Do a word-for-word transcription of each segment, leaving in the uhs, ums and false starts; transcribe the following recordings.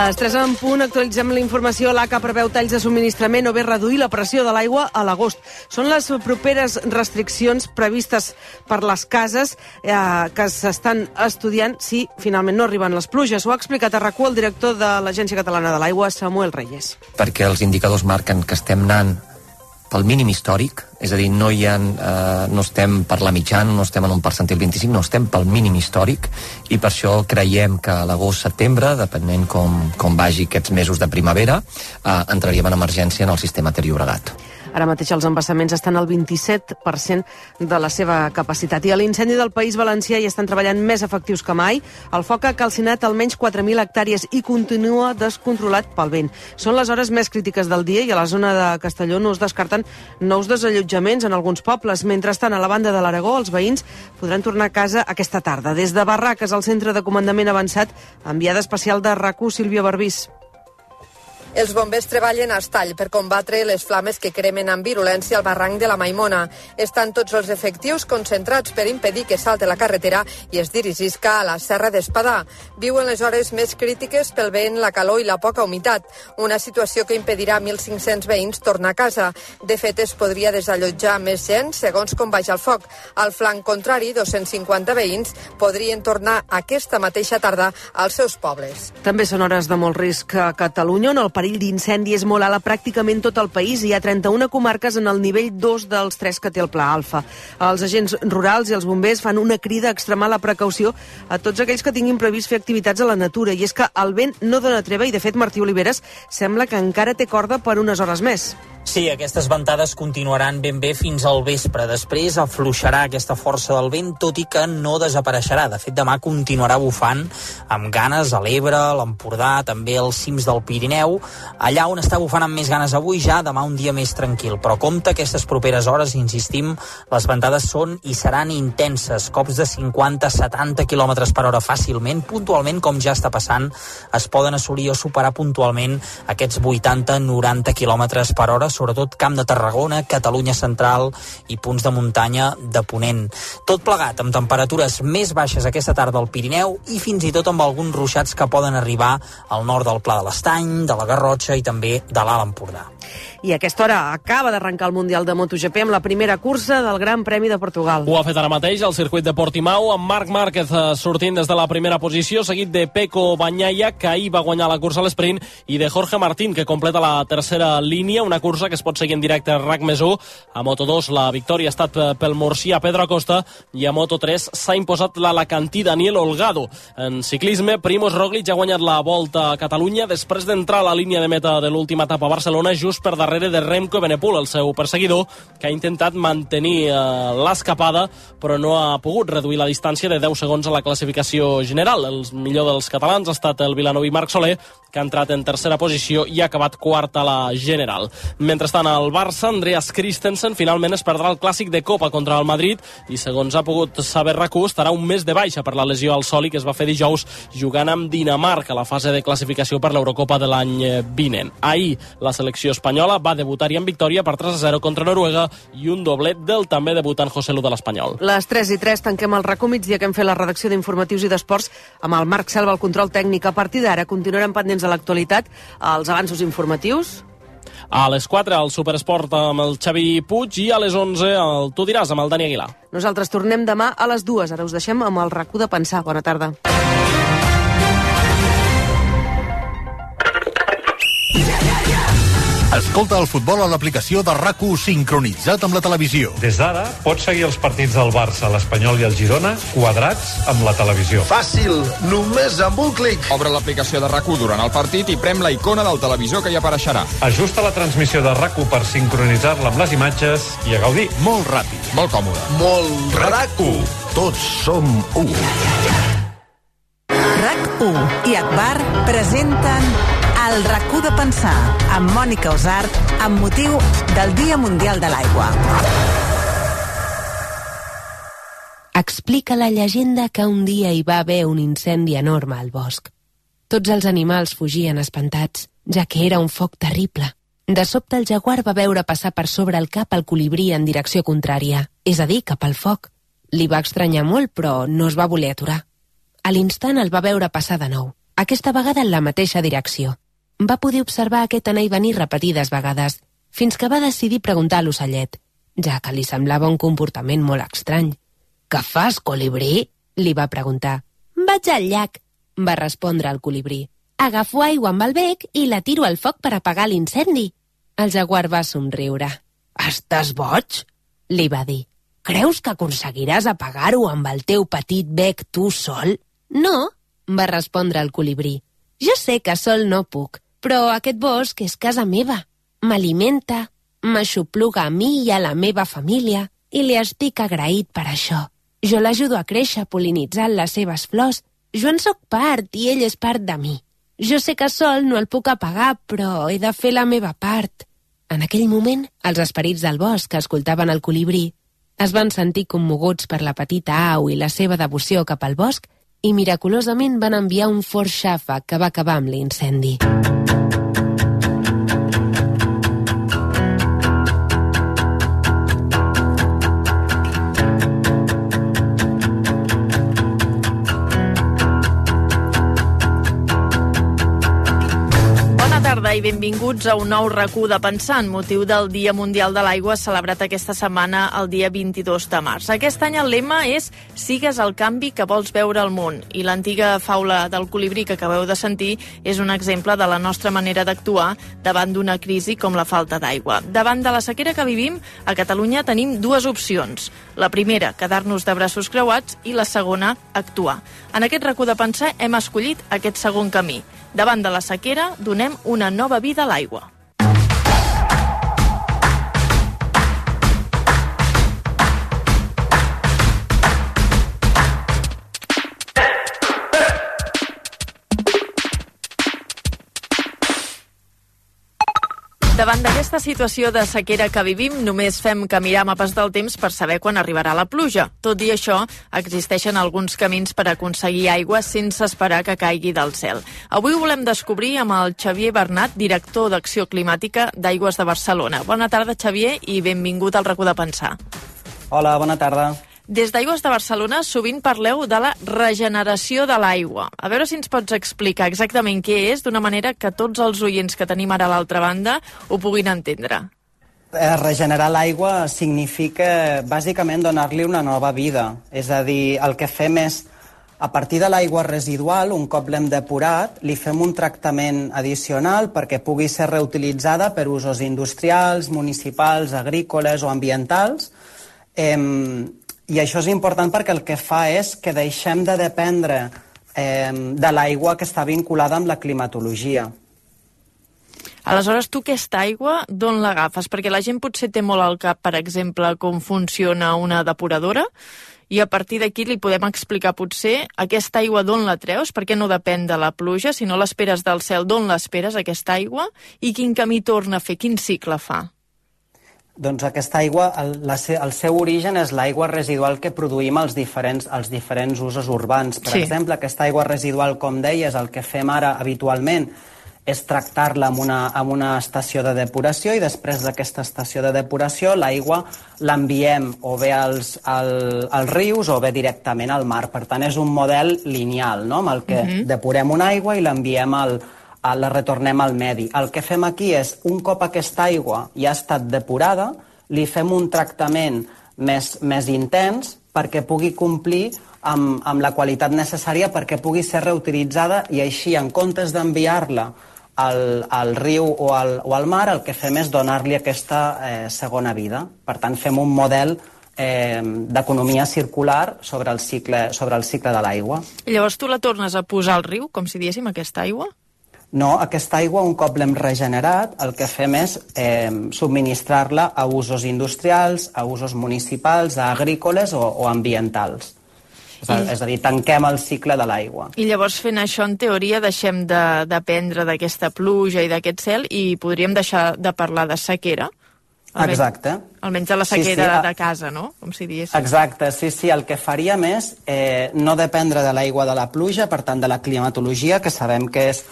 Les tres en punt, actualitzem la informació. L'A C A preveu talls de subministrament o bé reduir la pressió de l'aigua a l'agost. Són les properes restriccions previstes per les cases eh, que s'estan estudiant si finalment no arriben les pluges. Ho ha explicat a RAC u el director de l'Agència Catalana de l'Aigua, Samuel Reyes. Perquè els indicadors marquen que estem anant pel mínim històric, és a dir, no, hi ha, eh, no estem per la mitjana, no estem en un percentil vint-i-cinc, no estem pel mínim històric, i per això creiem que a l'agost-setembre, depenent com, com vagi aquests mesos de primavera, eh, entraríem en emergència en el sistema Ter Llobregat. Ara mateix els embassaments estan al vint-i-set per cent de la seva capacitat. I a l'incendi del País Valencià hi estan treballant més efectius que mai. El foc ha calcinat almenys quatre mil hectàrees i continua descontrolat pel vent. Són les hores més crítiques del dia i a la zona de Castelló no es descarten nous desallotjaments en alguns pobles. Mentrestant, a la banda de l'Aragó, els veïns podran tornar a casa aquesta tarda. Des de Barraques, al centre de comandament avançat, enviada especial de RAC u, Sílvia Barbís. Els bombers treballen a Estall per combatre les flames que cremen amb virulència al barranc de la Maimona. Estan tots els efectius concentrats per impedir que salte la carretera i es dirigisca a la Serra d'Espadà. Viuen les hores més crítiques pel vent, la calor i la poca humitat, una situació que impedirà a mil cinc-cents veïns tornar a casa. De fet, es podria desallotjar més gent segons com vagi el foc. Al flanc contrari, dos-cents cinquanta veïns podrien tornar aquesta mateixa tarda als seus pobles. També són hores de molt risc a Catalunya, on el perill d'incendi és molt alt a pràcticament tot el país. Hi ha trenta-una comarques en el nivell dos dels tres que té el Pla Alfa. Els agents rurals i els bombers fan una crida a extremar la precaució a tots aquells que tinguin previst fer activitats a la natura. I és que el vent no dona treva i, de fet, Martí Oliveres sembla que encara té corda per unes hores més. Sí, aquestes ventades continuaran ben bé fins al vespre. Després afluixarà aquesta força del vent, tot i que no desapareixerà. De fet, demà continuarà bufant amb ganes a l'Ebre, a l'Empordà, també als cims del Pirineu. Allà on està bufant amb més ganes avui, ja demà un dia més tranquil. Però compte, aquestes properes hores, insistim, les ventades són i seran intenses. Cops de cinquanta a setanta quilòmetres per hora fàcilment. Puntualment, com ja està passant, es poden assolir o superar puntualment aquests vuitanta a noranta quilòmetres per hora, sobretot Camp de Tarragona, Catalunya Central i punts de muntanya de Ponent. Tot plegat amb temperatures més baixes aquesta tarda al Pirineu i fins i tot amb alguns ruixats que poden arribar al nord del Pla de l'Estany, de la Garrotxa i també de l'Alt Empordà. I a aquesta hora acaba d'arrencar el Mundial de MotoGP amb la primera cursa del Gran Premi de Portugal. Ho ha fet ara mateix al circuit de Portimao, amb Marc Márquez sortint des de la primera posició, seguit de Pecco Bagnaia, que ahir va guanyar la cursa a l'esprint, i de Jorge Martín, que completa la tercera línia, una cursa que es pot seguir en directe a RAC més u. A Moto dos la victòria ha estat pel murcià Pedro Acosta i a Moto tres s'ha imposat l'alacantí Daniel Holgado. En ciclisme, Primož Roglič ha guanyat la Volta a Catalunya després d'entrar a la línia de meta de l'última etapa a Barcelona, just per darrere de Remco Evenepoel, el seu perseguidor, que ha intentat mantenir eh, l'escapada, però no ha pogut reduir la distància de deu segons a la classificació general. El millor dels catalans ha estat el vilanoví Marc Soler, que ha entrat en tercera posició i ha acabat quart a la general. Mentrestant, al Barça, Andreas Christensen finalment es perdrà el clàssic de Copa contra el Madrid i, segons ha pogut saber RAC u, estarà un mes de baixa per la lesió al soli que es va fer dijous jugant amb Dinamarca a la fase de classificació per l'Eurocopa de l'any vinent. Ahir, la selecció espanyola va debutar-hi en victòria per tres a zero contra Noruega i un doblet del també debutant José Lu de l'Espanyol. Les tres i tres tanquem el RAC u migdia, que hem fet la redacció d'informatius i d'esports amb el Marc Selva al control tècnic. A partir d'ara continuarem pendents de l'actualitat, els avanços informatius. A les quatre el Superesport amb el Xavi Puig i a les onze el Tu diràs amb el Dani Aguilar. Nosaltres tornem demà a les dues. Ara us deixem amb el RAC u de pensar. Bona tarda. Escolta el futbol a l'aplicació de RAC u sincronitzat amb la televisió. Des d'ara pots seguir els partits del Barça, l'Espanyol i el Girona quadrats amb la televisió. Fàcil, només amb un clic. Obre l'aplicació de RAC u durant el partit i prem la icona del televisor que hi apareixerà. Ajusta la transmissió de RAC u per sincronitzar-la amb les imatges i a gaudir. Molt ràpid. Molt còmode. Molt RAC u. Tots som u. RAC u i Akbar presenten el RAC u de pensar amb Mònica Osart amb motiu del Dia Mundial de l'Aigua. Explica la llegenda que un dia hi va haver un incendi enorme al bosc. Tots els animals fugien espantats, ja que era un foc terrible. De sobte el jaguar va veure passar per sobre el cap el colibrí en direcció contrària, és a dir, cap al foc. Li va estranyar molt, però no es va voler aturar. A l'instant el va veure passar de nou. aquesta vegada en la mateixa direcció. Va poder observar aquest anar i venir repetides vegades, fins que va decidir preguntar a l'ocellet, ja que li semblava un comportament molt estrany. «Què fas, colibrí?», li va preguntar. «Vaig al llac», va respondre el colibrí. «Agafo aigua amb el bec i la tiro al foc per apagar l'incendi». El jaguar va somriure. «Estàs boig?», li va dir. «Creus que aconseguiràs apagar-ho amb el teu petit bec tu sol?» «No», va respondre el colibrí. «Jo sé que sol no puc, però aquest bosc és casa meva. M'alimenta, m'aixopluga a mi i a la meva família i li estic agraït per això. Jo l'ajudo a créixer pol·linitzant les seves flors. Jo en sóc part i ell és part de mi. Jo sé que sol no el puc apagar, però he de fer la meva part». En aquell moment, els esperits del bosc que escoltaven el colibrí es van sentir commoguts per la petita au i la seva devoció cap al bosc i miraculosament van enviar un fort xàfec que va acabar amb l'incendi. I benvinguts a un nou RAC1 de Pensar amb motiu del Dia Mundial de l'Aigua celebrat aquesta setmana el dia vint-i-dos de març. Aquest any el lema és «Sigues el canvi que vols veure al món» i l'antiga faula del colibrí que acabeu de sentir és un exemple de la nostra manera d'actuar davant d'una crisi com la falta d'aigua. Davant de la sequera que vivim, a Catalunya tenim dues opcions. La primera, quedar-nos de braços creuats i la segona, actuar. En aquest RAC1 de Pensar hem escollit aquest segon camí. Davant de la sequera, donem una nova vida a l'aigua. Davant d'aquesta situació de sequera que vivim, només fem que mirar mapes del temps per saber quan arribarà la pluja. Tot i això, existeixen alguns camins per aconseguir aigua sense esperar que caigui del cel. Avui ho volem descobrir amb el Xavier Bernat, director d'Acció Climàtica d'Aigües de Barcelona. Bona tarda, Xavier, i benvingut al RAC1 de Pensar. Hola, bona tarda. Des d'Aigües de Barcelona sovint parleu de la regeneració de l'aigua. A veure si ens pots explicar exactament què és, d'una manera que tots els oients que tenim ara a l'altra banda ho puguin entendre. Regenerar l'aigua significa bàsicament donar-li una nova vida. És a dir, el que fem és, a partir de l'aigua residual, un cop l'hem depurat, li fem un tractament addicional perquè pugui ser reutilitzada per usos industrials, municipals, agrícoles o ambientals. Eh, I això és important perquè el que fa és que deixem de dependre eh, de l'aigua que està vinculada amb la climatologia. Aleshores, tu aquesta aigua d'on l'agafes? Perquè la gent potser té molt al cap, per exemple, com funciona una depuradora, i a partir d'aquí li podem explicar potser aquesta aigua d'on la treus, perquè no depèn de la pluja, si no l'esperes del cel, d'on l'esperes, aquesta aigua, i quin camí torna a fer, quin cicle fa? Doncs aquesta aigua, el, la, el seu origen és l'aigua residual que produïm als diferents, als diferents usos urbans. Per sí. exemple, aquesta aigua residual, com deies, el que fem ara habitualment és tractar-la amb, una, amb una estació de depuració i després d'aquesta estació de depuració l'aigua l'enviem o bé als, al, als rius o bé directament al mar. Per tant, és un model lineal, no?, amb el que uh-huh. depurem una aigua i l'enviem al la retornem al medi. El que fem aquí és, un cop aquesta aigua ja ha estat depurada, li fem un tractament més, més intens perquè pugui complir amb, amb la qualitat necessària perquè pugui ser reutilitzada i així, en comptes d'enviar-la al, al riu o al, o al mar, el que fem és donar-li aquesta eh, segona vida. Per tant, fem un model eh, d'economia circular sobre el cicle, sobre el cicle de l'aigua. I llavors tu la tornes a posar al riu, com si diéssim, aquesta aigua? No, aquesta aigua, un cop l'hem regenerat, el que fem és eh, subministrar-la a usos industrials, a usos municipals, a agrícoles o, o ambientals. És a, I... és a dir, tanquem el cicle de l'aigua. I llavors, fent això, en teoria, deixem de dependre d'aquesta pluja i d'aquest cel i podríem deixar de parlar de sequera? Almenys, Exacte. Almenys de la sequera sí, sí. de casa, no? Com si diguéssim. Exacte, sí, sí. El que faríem és eh, no dependre de l'aigua de la pluja, per tant, de la climatologia, que sabem que és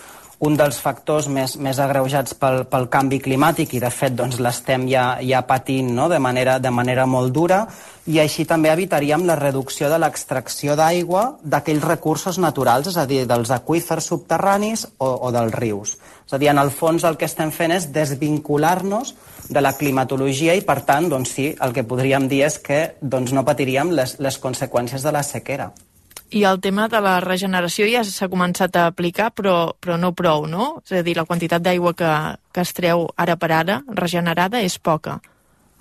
un dels factors més, més agreujats pel, pel canvi climàtic i de fet doncs, l'estem ja, ja patint, no? de, manera, de manera molt dura, i així també evitaríem la reducció de l'extracció d'aigua d'aquells recursos naturals, és a dir, dels aqüífers subterranis o, o dels rius. És a dir, en el fons el que estem fent és desvincular-nos de la climatologia i per tant, doncs sí, el que podríem dir és que doncs, no patiríem les, les conseqüències de la sequera. I el tema de la regeneració ja s'ha començat a aplicar, però, però no prou, no? És a dir, la quantitat d'aigua que, que es treu ara per ara regenerada és poca.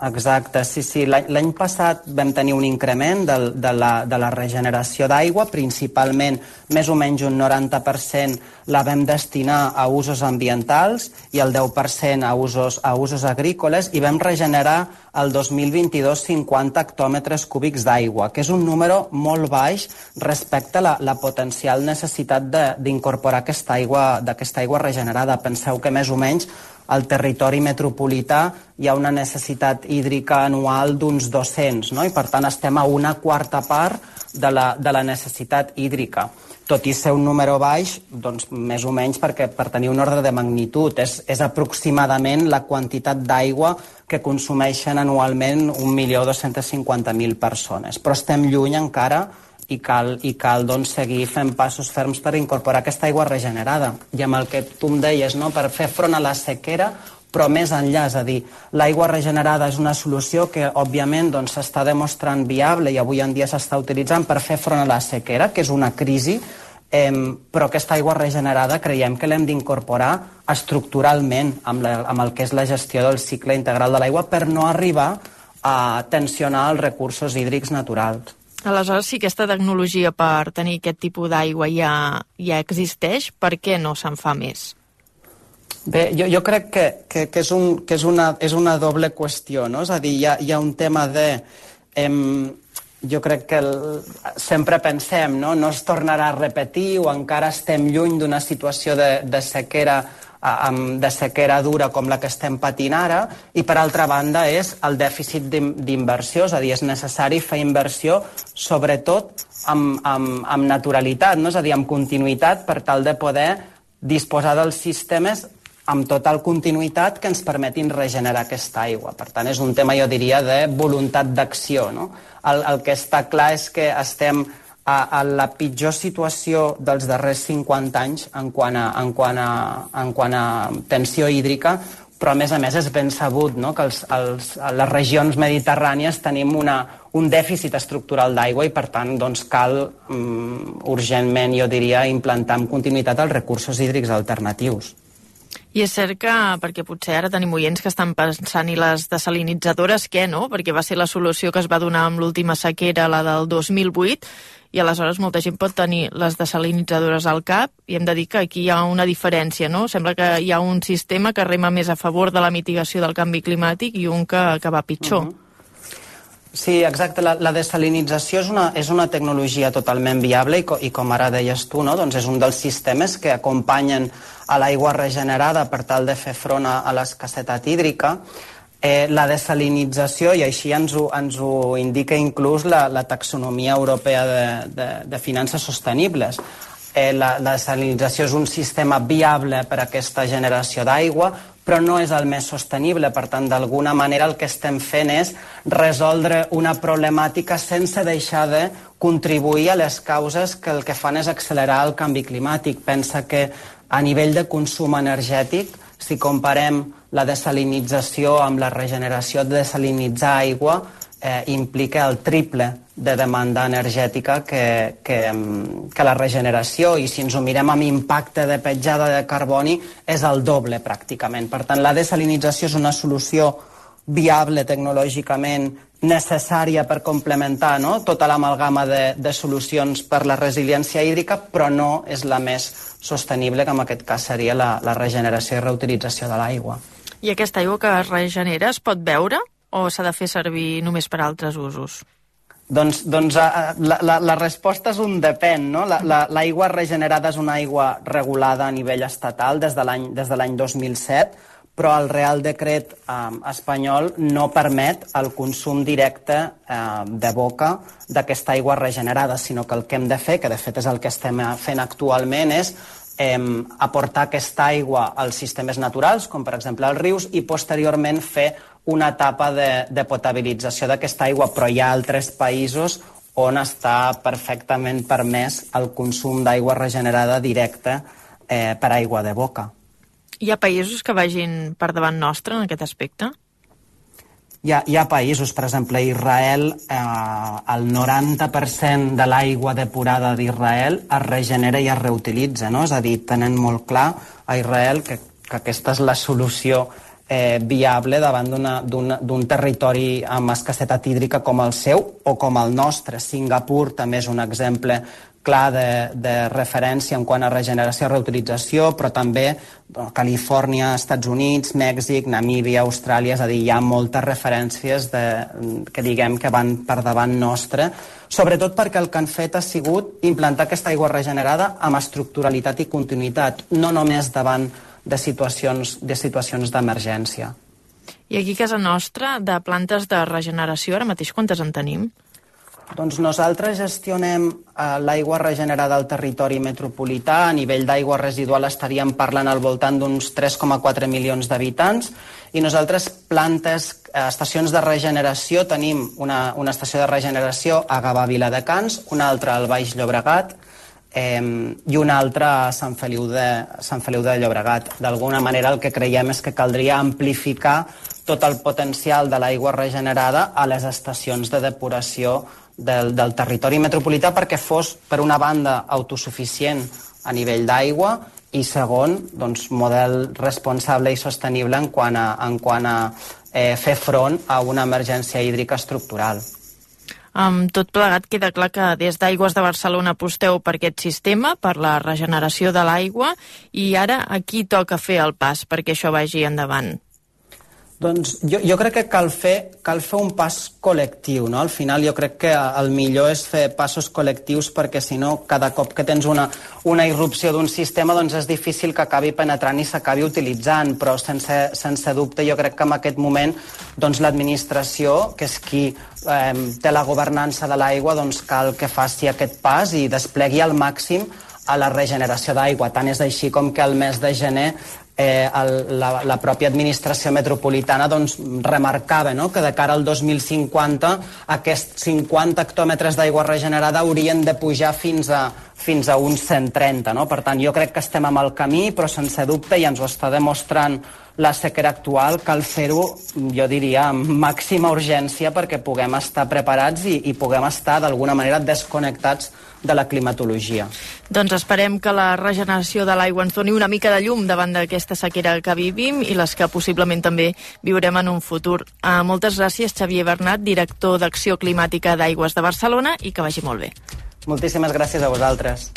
Exacte, sí, sí. L'any passat vam tenir un increment de, de, la, de la regeneració d'aigua, principalment més o menys un noranta per cent la vam destinar a usos ambientals i el deu per cent a usos, a usos agrícoles, i vam regenerar el dos mil vint-i-dos cinquanta hectòmetres cúbics d'aigua, que és un número molt baix respecte a la, la potencial necessitat d'incorporar aquesta aigua, d'aquesta aigua regenerada. Penseu que més o menys al territori metropolità hi ha una necessitat hídrica anual d'uns dos-cents, no? I per tant estem a una quarta part de la, de la necessitat hídrica. Tot i ser un número baix, doncs més o menys perquè per tenir un ordre de magnitud és, és aproximadament la quantitat d'aigua que consumeixen anualment un milió dos-cents cinquanta mil persones. Però estem lluny encara i cal, i cal doncs, seguir fent passos ferms per incorporar aquesta aigua regenerada. I amb el que tu em deies, no? Per fer front a la sequera, però més enllà, és a dir, l'aigua regenerada és una solució que, òbviament, doncs, s'està demostrant viable i avui en dia s'està utilitzant per fer front a la sequera, que és una crisi, eh, però aquesta aigua regenerada creiem que l'hem d'incorporar estructuralment amb, la, amb el que és la gestió del cicle integral de l'aigua per no arribar a tensionar els recursos hídrics naturals. Aleshores, si aquesta tecnologia per tenir aquest tipus d'aigua ja, ja existeix, per què no se'n fa més? Bé, jo, jo crec que, que, que, és, un, que és, una, és una doble qüestió, no? És a dir, hi ha, hi ha un tema de... Em, jo crec que el, sempre pensem, no? No es tornarà a repetir o encara estem lluny d'una situació de, de sequera de sequera dura com la que estem patint ara, i per altra banda és el dèficit d'inversió, és a dir, és necessari fer inversió sobretot amb, amb, amb naturalitat, no? És a dir, amb continuïtat per tal de poder disposar dels sistemes amb total continuïtat que ens permetin regenerar aquesta aigua. Per tant, és un tema, jo diria, de voluntat d'acció, no? El, el que està clar és que estem a, a la pitjor situació dels darrers cinquanta anys en quant a, en quant a, en quant a tensió hídrica, però a més a més és ben sabut, no? Que els, els, a les regions mediterrànies tenim una, un dèficit estructural d'aigua i per tant doncs, cal um, urgentment, jo diria, implantar amb continuïtat els recursos hídrics alternatius. I és cert que, perquè potser ara tenim oients que estan pensant i les desalinitzadores què, no? Perquè va ser la solució que es va donar amb l'última sequera, la del dos mil vuit, i aleshores molta gent pot tenir les desalinitzadores al cap i hem de dir que aquí hi ha una diferència, no? Sembla que hi ha un sistema que rema més a favor de la mitigació del canvi climàtic i un que, que va pitjor. Uh-huh. Sí, exacte. La, la desalinització és una, és una tecnologia totalment viable i, co, i com ara deies tu, no? Doncs és un dels sistemes que acompanyen a l'aigua regenerada per tal de fer front a, a l'escassetat hídrica. Eh, la desalinització, i així ens ho, ens ho indica inclús la, la taxonomia europea de, de, de finances sostenibles. Eh, la, la desalinització és un sistema viable per a aquesta generació d'aigua, però no és el més sostenible. Per tant, d'alguna manera el que estem fent és resoldre una problemàtica sense deixar de contribuir a les causes que el que fan és accelerar el canvi climàtic. Pensa que a nivell de consum energètic, si comparem la desalinització amb la regeneració de desalinitzar aigua, eh, implica el triple de demanda energètica que, que, que la regeneració, i si ens ho mirem amb impacte de petjada de carboni és el doble pràcticament. Per tant, la desalinització és una solució viable tecnològicament, necessària per complementar, no?, tota l'amalgama de, de solucions per la resiliència hídrica, però no és la més sostenible, que en aquest cas seria la, la regeneració i reutilització de l'aigua. I aquesta aigua que es regenera es pot beure o s'ha de fer servir només per altres usos? Doncs, doncs la, la, la resposta és un depèn, no? L'aigua la, regenerada és una aigua regulada a nivell estatal des de l'any des de l'any dos mil set, però el Real Decret eh, espanyol no permet el consum directe eh, de boca d'aquesta aigua regenerada, sinó que el que hem de fer, que de fet és el que estem fent actualment, és eh, aportar aquesta aigua als sistemes naturals, com per exemple els rius, i posteriorment fer una etapa de, de potabilització d'aquesta aigua, però hi ha altres països on està perfectament permès el consum d'aigua regenerada directa eh, per aigua de boca. Hi ha països que vagin per davant nostre en aquest aspecte? Hi ha, hi ha països, per exemple, a Israel, eh, el noranta per cent de l'aigua depurada d'Israel es regenera i es reutilitza, no? És a dir, tenen molt clar a Israel que, que aquesta és la solució eh, viable davant d'un territori amb escassetat hídrica com el seu o com el nostre. Singapur també és un exemple clar de, de referència en quant a regeneració i reutilització, però també Califòrnia, Estats Units, Mèxic, Namíbia, Austràlia, és a dir, hi ha moltes referències de, que diguem que van per davant nostre, sobretot perquè el que han fet ha sigut implantar aquesta aigua regenerada amb estructuralitat i continuïtat, no només davant de situacions de situacions d'emergència. I aquí a casa nostra, de plantes de regeneració, ara mateix quantes en tenim? Doncs nosaltres gestionem eh, l'aigua regenerada al territori metropolità. A nivell d'aigua residual estaríem parlant al voltant d'uns tres coma quatre milions d'habitants i nosaltres plantes, eh, estacions de regeneració, tenim una, una estació de regeneració a Gavà Viladecans, una altra al Baix Llobregat eh, i una altra a Sant Feliu de, Sant Feliu de Llobregat. D'alguna manera el que creiem és que caldria amplificar tot el potencial de l'aigua regenerada a les estacions de depuració Del, del territori metropolità perquè fos, per una banda, autosuficient a nivell d'aigua i, segon, doncs, model responsable i sostenible en quant a, en quant a eh, fer front a una emergència hídrica estructural. Amb tot plegat, queda clar que des d'Aigües de Barcelona aposteu per aquest sistema, per la regeneració de l'aigua, i ara aquí toca fer el pas perquè això vagi endavant. Doncs jo, jo crec que cal fer, cal fer un pas col·lectiu, no? Al final jo crec que el millor és fer passos col·lectius perquè si no cada cop que tens una, una irrupció d'un sistema doncs és difícil que acabi penetrant i s'acabi utilitzant, però sense, sense dubte jo crec que en aquest moment doncs l'administració, que és qui eh, té la governança de l'aigua, doncs cal que faci aquest pas i desplegui al màxim a la regeneració d'aigua. Tant és així com que el mes de gener Eh, el, la, la pròpia administració metropolitana doncs, remarcava, no?, que de cara al dos mil cinquanta aquests cinquanta hectòmetres d'aigua regenerada haurien de pujar fins a, fins a uns cent trenta. No? Per tant, jo crec que estem amb el camí, però sense dubte, i ens ho està demostrant la sequera actual, cal fer-ho, jo diria, amb màxima urgència perquè puguem estar preparats i, i puguem estar d'alguna manera desconnectats de la climatologia. Doncs esperem que la regeneració de l'aigua ens doni una mica de llum davant d'aquesta sequera que vivim i les que possiblement també viurem en un futur. Uh, moltes gràcies, Xavier Bernat, director d'Acció Climàtica d'Aigües de Barcelona, i que vagi molt bé. Moltíssimes gràcies a vosaltres.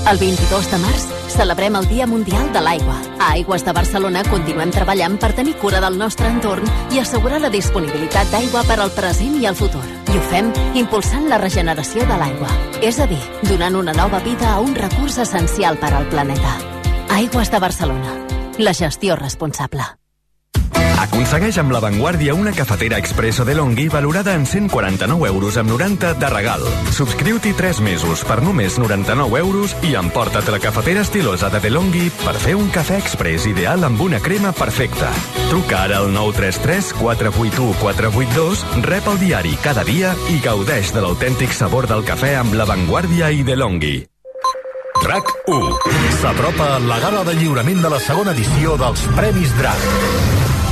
El vint-i-dos de març celebrem el Dia Mundial de l'Aigua. A Aigües de Barcelona continuem treballant per tenir cura del nostre entorn i assegurar la disponibilitat d'aigua per al present i el futur. I ho fem impulsant la regeneració de l'aigua, és a dir, donant una nova vida a un recurs essencial per al planeta. Aigües de Barcelona. La gestió responsable. Aconsegueix amb La Vanguardia una cafetera expresso DeLonghi valorada en cent quaranta-nou euros amb noranta de regal. Subscriu-t'hi tres mesos per només noranta-nou euros i emporta't la cafetera estilosa de DeLonghi per fer un cafè express ideal amb una crema perfecta. Truca ara al nou tres tres quatre vuit u quatre vuit dos, rep el diari cada dia i gaudeix de l'autèntic sabor del cafè amb La Vanguardia i DeLonghi. RAC u. S'apropa la gala de lliurament de la segona edició dels Premis DRAC.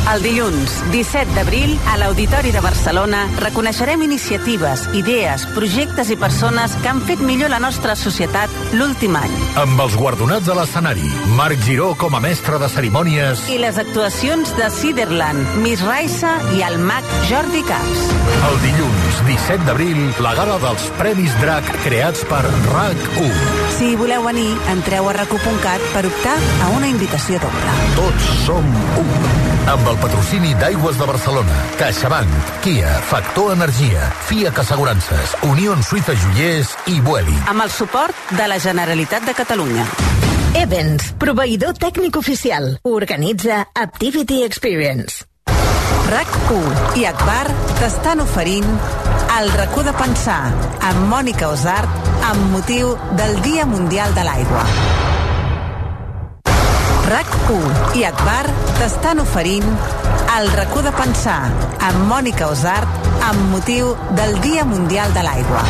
El dilluns, disset d'abril, a l'Auditori de Barcelona, reconeixerem iniciatives, idees, projectes i persones que han fet millor la nostra societat l'últim any. Amb els guardonats a l'escenari, Marc Giró com a mestre de cerimònies i les actuacions de Ciderland, Miss Raissa i el mag Jordi Camps. El dilluns, disset d'abril, la gala dels Premis DRAC creats per RAC u. Si voleu venir, entreu a rac u punt cat per optar a una invitació doble. Tots som u. Amb el patrocini d'Aigües de Barcelona, CaixaBank, Kia, Factor Energia, FIAC Assegurances, Unió Suïssa Joiers i Vueling. Amb el suport de la Generalitat de Catalunya. Evans, proveïdor tècnic oficial. Organitza Activity Experience. RAC u i Akbar t'estan oferint El racó de pensar amb Mònica Osart amb motiu del Dia Mundial de l'Aigua. RAC u i Akbar t'estan oferint El racó de pensar amb Mònica Osart amb motiu del Dia Mundial de l'Aigua.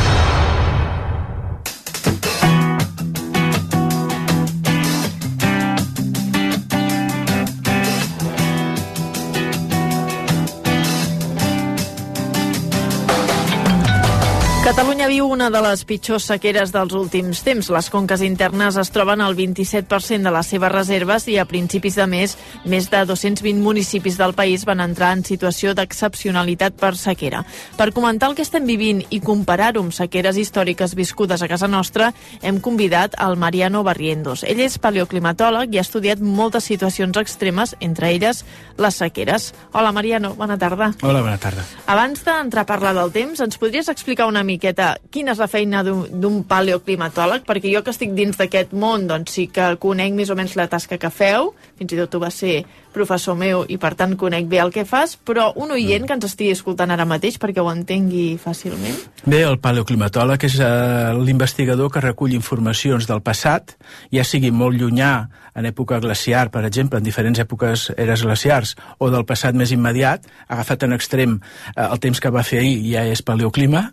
Catalunya viu una de les pitjors sequeres dels últims temps. Les conques internes es troben al vint-i-set per cent de les seves reserves i a principis de mes, més de dos-cents vint municipis del país van entrar en situació d'excepcionalitat per sequera. Per comentar el que estem vivint i comparar-ho amb sequeres històriques viscudes a casa nostra, hem convidat al Mariano Barrientos. Ell és paleoclimatòleg i ha estudiat moltes situacions extremes, entre elles les sequeres. Hola, Mariano, bona tarda. Hola, bona tarda. Abans d'entrar a parlar del temps, ens podries explicar una mica miqueta quina és la feina d'un paleoclimatòleg? Perquè jo que estic dins d'aquest món, doncs sí que conec més o menys la tasca que feu, fins i tot tu vas ser professor meu i per tant conec bé el que fas, però un oient que ens estigui escoltant ara mateix perquè ho entengui fàcilment. Bé, el paleoclimatòleg és eh, l'investigador que recull informacions del passat, ja sigui molt llunyà, en època glaciar, per exemple, en diferents èpoques eres glaciars, o del passat més immediat, agafat en extrem eh, el temps que va fer ahir, ja és paleoclima,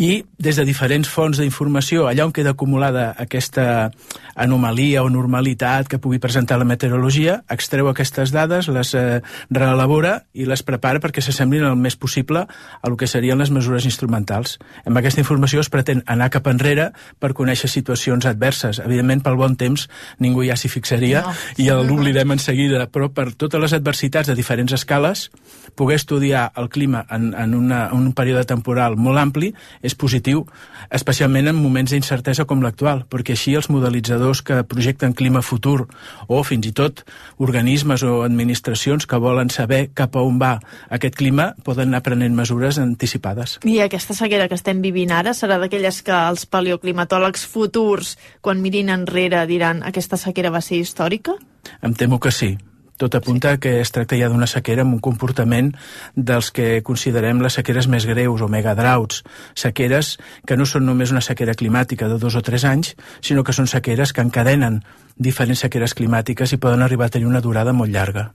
i des de diferents fonts d'informació, allà on queda acumulada aquesta anomalia o normalitat que pugui presentar la meteorologia, extreu aquestes dades, les eh, reelabora i les prepara perquè s'assemblin el més possible a el que serien les mesures instrumentals. Amb aquesta informació es pretén anar cap enrere per conèixer situacions adverses. Evidentment, pel bon temps, ningú ja s'hi fixaria no. i l'oblidem en seguida, però per totes les adversitats de diferents escales, poder estudiar el clima en, en, una, en un període temporal molt ampli és positiu, especialment en moments d'incertesa com l'actual, perquè així els modelitzadors que projecten clima futur o fins i tot organismes o administracions que volen saber cap a on va aquest clima poden anar prenent mesures anticipades. I aquesta sequera que estem vivint ara serà d'aquelles que els paleoclimatòlegs futurs, quan mirin enrere, diran aquesta sequera va ser històrica? Em temo que sí. Tot apunta que es tracta ja d'una sequera amb un comportament dels que considerem les sequeres més greus o megadroughts, sequeres que no són només una sequera climàtica de dos o tres anys, sinó que són sequeres que encadenen diferents sequeres climàtiques i poden arribar a tenir una durada molt llarga.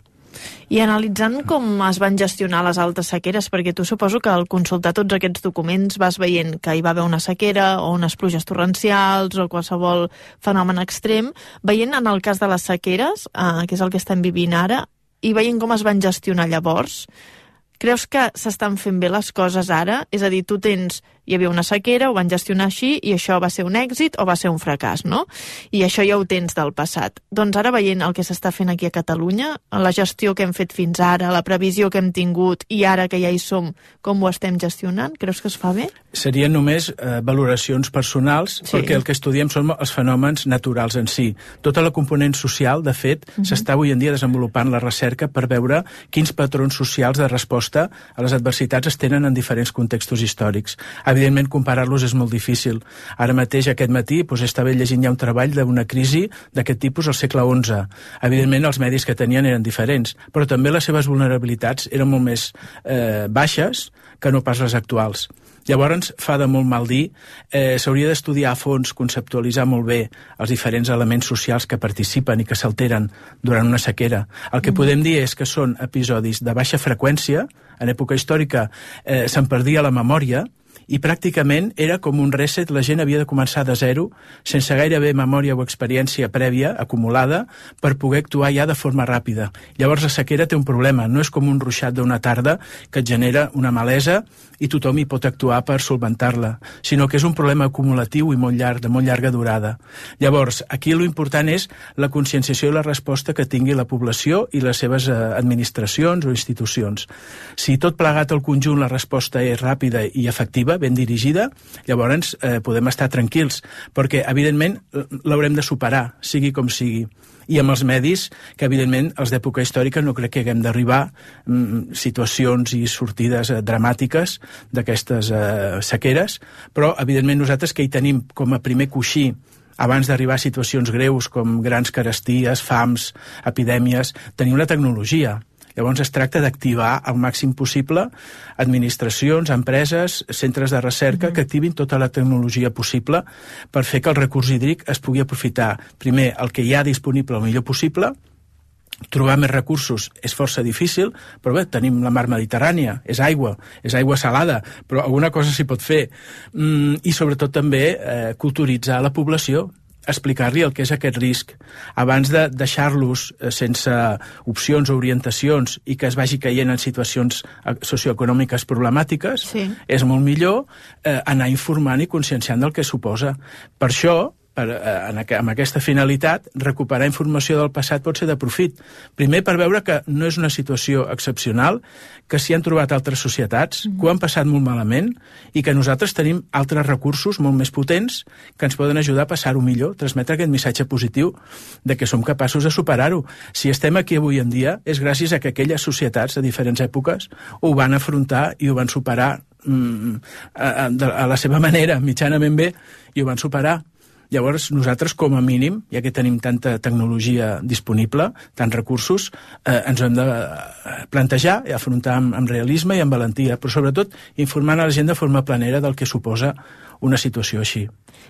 I analitzant com es van gestionar les altes sequeres, perquè tu suposo que al consultar tots aquests documents vas veient que hi va haver una sequera o unes pluges torrencials o qualsevol fenomen extrem, veient en el cas de les sequeres, eh, que és el que estem vivint ara, i veient com es van gestionar llavors, creus que s'estan fent bé les coses ara? És a dir, tu tens, hi havia una sequera, ho van gestionar així i això va ser un èxit o va ser un fracàs, no? I això ja ho tens del passat. Doncs ara veient el que s'està fent aquí a Catalunya, la gestió que hem fet fins ara, la previsió que hem tingut i ara que ja hi som, com ho estem gestionant, creus que es fa bé? Serien només eh, valoracions personals, sí. perquè el que estudiem són els fenòmens naturals en si. Tota la component social, de fet, uh-huh. s'està avui en dia desenvolupant la recerca per veure quins patrons socials de resposta a les adversitats es tenen en diferents contextos històrics. Evidentment, comparar-los és molt difícil. Ara mateix, aquest matí, doncs, estava llegint ja un treball d'una crisi d'aquest tipus al segle onze. Evidentment, els medis que tenien eren diferents, però també les seves vulnerabilitats eren molt més eh, baixes que no pas les actuals. Llavors, fa de molt mal dir, eh, s'hauria d'estudiar a fons, conceptualitzar molt bé els diferents elements socials que participen i que s'alteren durant una sequera. El que mm. podem dir és que són episodis de baixa freqüència, en època històrica eh, se'n perdia la memòria, i pràcticament era com un reset, la gent havia de començar de zero, sense gairebé memòria o experiència prèvia acumulada per poder actuar ja de forma ràpida. Llavors la sequera té un problema, no és com un ruixat d'una tarda que et genera una malesa i tothom hi pot actuar per solventar-la, sinó que és un problema acumulatiu i molt llarg, de molt llarga durada. Llavors, aquí l'important és la conscienciació i la resposta que tingui la població i les seves eh, administracions o institucions. Si tot plegat al conjunt la resposta és ràpida i efectiva, ben dirigida, llavors eh, podem estar tranquils, perquè evidentment l'haurem de superar, sigui com sigui. I amb els medis, que evidentment els d'època històrica no crec que haguem d'arribar mm, situacions i sortides eh, dramàtiques d'aquestes eh, sequeres, però evidentment nosaltres que hi tenim com a primer coixí abans d'arribar a situacions greus com grans caresties, fams, epidèmies, tenim la tecnologia. Llavors es tracta d'activar al màxim possible administracions, empreses, centres de recerca, mm-hmm. que activin tota la tecnologia possible per fer que el recurs hídric es pugui aprofitar, primer, el que hi ha disponible el millor possible. Trobar més recursos és força difícil, però bé, tenim la mar Mediterrània, és aigua, és aigua salada, però alguna cosa s'hi pot fer. Mm, I sobretot també eh, culturitzar la població, explicar-li el que és aquest risc, abans de deixar-los eh, sense opcions o orientacions i que es vagi caient en situacions socioeconòmiques problemàtiques, sí. És molt millor eh, anar informant i conscienciant del que suposa. Per això, Per, en, amb aquesta finalitat, recuperar informació del passat pot ser de profit. Primer, per veure que no és una situació excepcional, que s'hi han trobat altres societats, mm. que ho han passat molt malament, i que nosaltres tenim altres recursos molt més potents que ens poden ajudar a passar-ho millor, transmetre aquest missatge positiu de que som capaços de superar-ho. Si estem aquí avui en dia, és gràcies a que aquelles societats de diferents èpoques ho van afrontar i ho van superar mm, a, a, a la seva manera, mitjanament bé, i ho van superar. Llavors, nosaltres, com a mínim, ja que tenim tanta tecnologia disponible, tants recursos, eh, ens ho hem de plantejar i afrontar amb, amb realisme i amb valentia, però sobretot informant a la gent de forma planera del que suposa una situació així.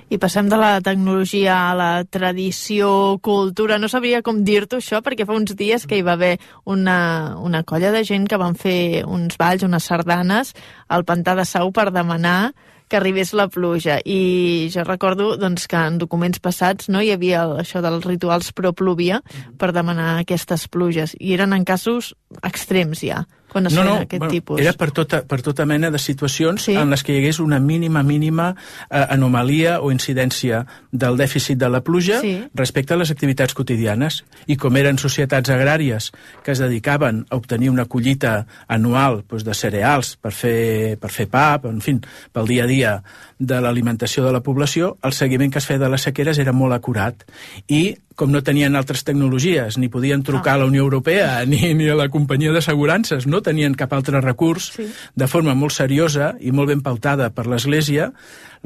I passem de la tecnologia a la tradició, cultura. No sabria com dir-t'ho això, perquè fa uns dies que hi va haver una, una colla de gent que van fer uns balls, unes sardanes al Pantà de Sau per demanar que arribés la pluja. I jo recordo doncs, que en documents passats no hi havia el, això dels rituals pro pluvia per demanar aquestes pluges. I eren en casos extrems ja, quan es no, feien no, aquest bueno, tipus. Era per tota, per tota mena de situacions sí. en les que hi hagués una mínima, mínima eh, anomalia o incidència del dèficit de la pluja sí. respecte a les activitats quotidianes. I com eren societats agràries que es dedicaven a obtenir una collita anual doncs, de cereals per fer, per fer pa, en fi, pel dia a dia de l'alimentació de la població, el seguiment que es feia de les sequeres era molt acurat. I com no tenien altres tecnologies, ni podien trucar a la Unió Europea ni, ni a la companyia d'assegurances, no tenien cap altre recurs, sí. de forma molt seriosa i molt ben pautada per l'Església,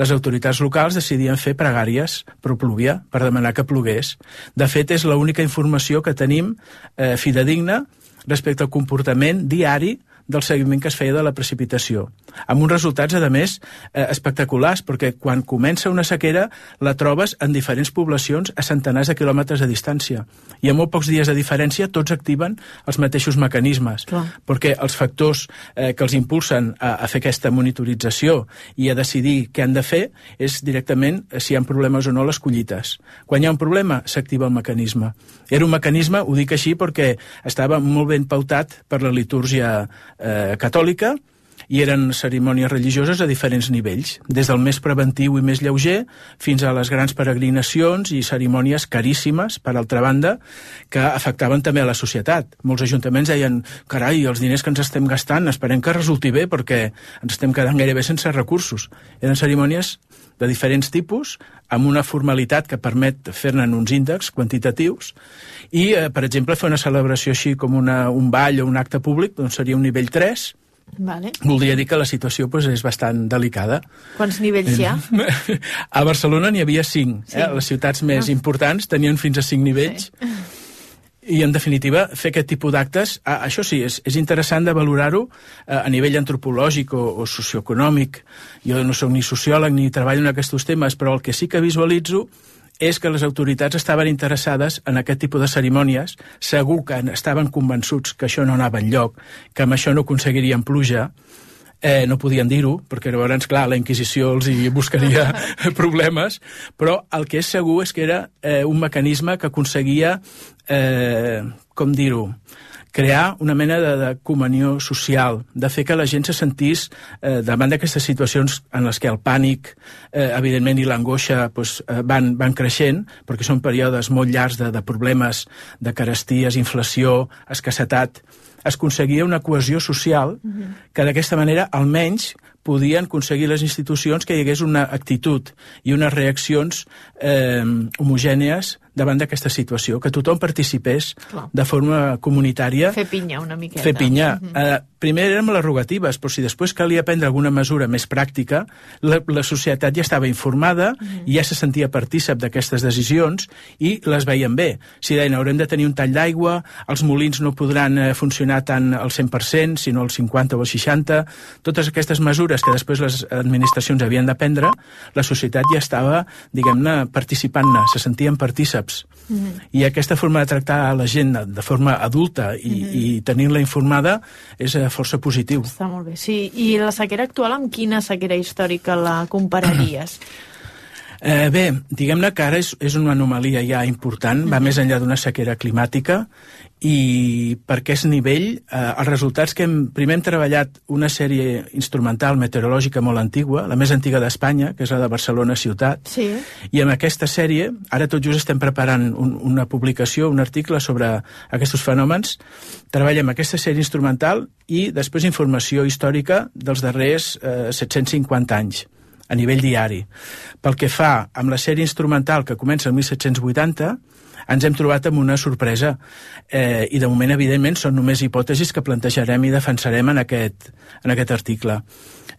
les autoritats locals decidien fer pregàries pro pluvia, per demanar que plogués. De fet, és l'única informació que tenim eh, fidedigna respecte al comportament diari del seguiment que es feia de la precipitació, amb uns resultats, a més, eh, espectaculars, perquè quan comença una sequera la trobes en diferents poblacions a centenars de quilòmetres de distància, i a molt pocs dies de diferència tots activen els mateixos mecanismes, Clar. perquè els factors eh, que els impulsen a, a fer aquesta monitorització i a decidir què han de fer és directament si hi ha problemes o no les collites. Quan hi ha un problema, s'activa el mecanisme. Era un mecanisme, ho dic així, perquè estava molt ben pautat per la litúrgia Eh, catòlica i eren cerimònies religioses a diferents nivells, des del més preventiu i més lleuger fins a les grans peregrinacions i cerimònies caríssimes, per altra banda, que afectaven també a la societat. Molts ajuntaments deien, carai, els diners que ens estem gastant, esperem que resulti bé perquè ens estem quedant gairebé sense recursos. Eren cerimònies de diferents tipus, amb una formalitat que permet fer-ne uns índexs quantitatius, i, eh, per exemple, fer una celebració així com una, un ball o un acte públic, doncs seria un nivell tres, Vale. Voldria dir que la situació pues, és bastant delicada. Quants nivells hi ha? A Barcelona n'hi havia cinc. Sí. Eh? Les ciutats més ah. importants tenien fins a cinc nivells. Sí. I, en definitiva, fer aquest tipus d'actes, ah, això sí, és, és interessant de valorar-ho eh, a nivell antropològic o, o socioeconòmic. Jo no soc ni sociòleg ni treballo en aquests temes, però el que sí que visualitzo és que les autoritats estaven interessades en aquest tipus de cerimònies, segur que estaven convençuts que això no anava enlloc, que amb això no aconseguirien pluja, eh, no podien dir-ho, perquè llavors, clar, la Inquisició els hi buscaria problemes, però el que és segur és que era eh, un mecanisme que aconseguia, eh, com dir-ho, crear una mena de, de comunió social, de fer que la gent se sentís eh, davant d'aquestes situacions en les que el pànic, eh, evidentment, i l'angoixa pues, eh, van, van creixent, perquè són períodes molt llargs de, de problemes, de caresties, inflació, escassetat. Es aconseguia una cohesió social uh-huh. que d'aquesta manera almenys podien aconseguir les institucions que hi hagués una actitud i unes reaccions eh, homogènies davant d'aquesta situació, que tothom participés Clar. de forma comunitària. Fer pinya una miqueta. Fer pinya. Mm -hmm. eh, primer érem les rogatives, però si després calia prendre alguna mesura més pràctica, la, la societat ja estava informada, mm -hmm. i ja se sentia partícip d'aquestes decisions i les veien bé. Si deien, haurem de tenir un tall d'aigua, els molins no podran eh, funcionar tant al cent per cent, sinó al cinquanta o al seixanta, totes aquestes mesures que després les administracions havien de prendre, la societat ja estava, diguem-ne, participant-ne, se sentien partícips. Mm-hmm. I aquesta forma de tractar a la gent de forma adulta i, mm-hmm. i tenir-la informada és força positiu. Està molt bé, sí. I la sequera actual amb quina sequera històrica la compararies? Eh, bé, diguem-ne que ara és, és una anomalia ja important, va mm-hmm. més enllà d'una sequera climàtica, i per aquest nivell, eh, els resultats que hem... Primer hem treballat una sèrie instrumental meteorològica molt antigua, la més antiga d'Espanya, que és la de Barcelona ciutat, sí. i amb aquesta sèrie, ara tot just estem preparant un, una publicació, un article sobre aquests fenòmens, treballem aquesta sèrie instrumental i després informació històrica dels darrers eh, set-cents cinquanta anys, a nivell diari. Pel que fa amb la sèrie instrumental que comença el mil set-cents vuitanta, ens hem trobat amb una sorpresa eh, i de moment, evidentment, són només hipòtesis que plantejarem i defensarem en aquest, en aquest article.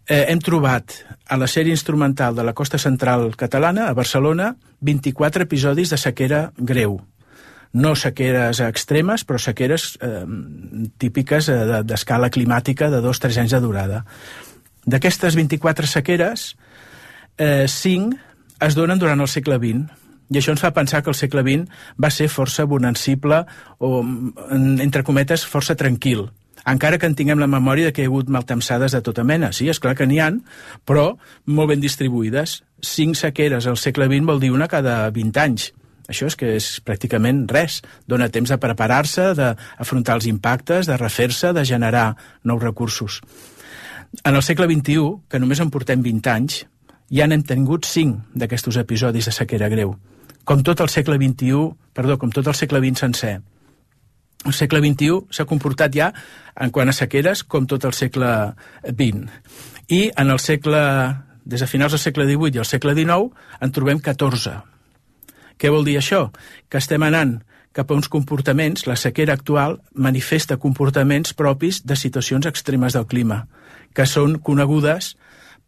Eh, hem trobat a la sèrie instrumental de la costa central catalana, a Barcelona, vint-i-quatre episodis de sequera greu. No sequeres extremes, però sequeres eh, típiques eh, d'escala climàtica de dos o tres anys de durada. D'aquestes vint-i-quatre sequeres, eh, cinc es donen durant el segle vint, i això ens fa pensar que el segle vint va ser força bonancible o, entre cometes, força tranquil. Encara que en tinguem la memòria de que hi ha hagut maltemsades de tota mena. Sí, esclar que n'hi ha, però molt ben distribuïdes. Cinc sequeres al segle vint vol dir una cada vint anys. Això és que és pràcticament res. Dóna temps de preparar-se, d'afrontar els impactes, de refer-se, de generar nous recursos. En el segle vint-i-u, que només en portem vint anys, ja n'hem tingut cinc d'aquests episodis de sequera greu. Com tot el segle vint-i-u, perdó, com tot el segle vint sencer. El segle vint-i-u s'ha comportat ja, en quant a sequeres, com tot el segle vint. I en el segle, des de finals del segle divuit i el segle dinou, en trobem catorze. Què vol dir això? Que estem anant cap a uns comportaments, la sequera actual manifesta comportaments propis de situacions extremes del clima, que són conegudes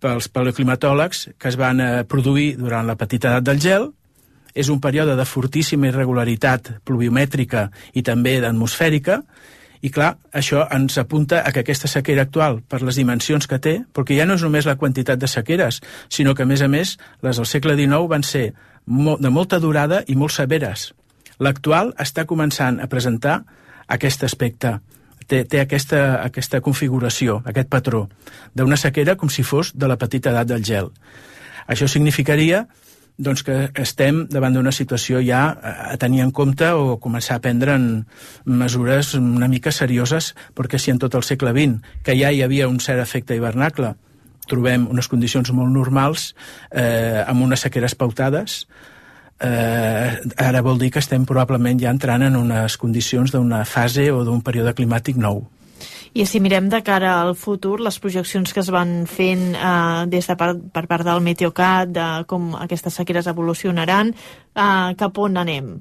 pels paleoclimatòlegs, que es van eh, produir durant la petita edat del gel. És un període de fortíssima irregularitat pluviomètrica i també d'atmosfèrica, i clar, això ens apunta a que aquesta sequera actual, per les dimensions que té, perquè ja no és només la quantitat de sequeres, sinó que, a més a més, les del segle dinou van ser de molta durada i molt severes. L'actual està començant a presentar aquest aspecte, té, té aquesta, aquesta configuració, aquest patró, d'una sequera com si fos de la petita edat del gel. Això significaria doncs, que estem davant d'una situació ja a tenir en compte o començar a prendre mesures una mica serioses, perquè si en tot el segle vint, que ja hi havia un cert efecte hivernacle, trobem unes condicions molt normals, eh, amb unes sequeres pautades, eh, ara vol dir que estem probablement ja entrant en unes condicions d'una fase o d'un període climàtic nou. I si mirem de cara al futur, les projeccions que es van fent eh, des de part, per part del Meteocat, de com aquestes sequeres evolucionaran, eh, cap on anem?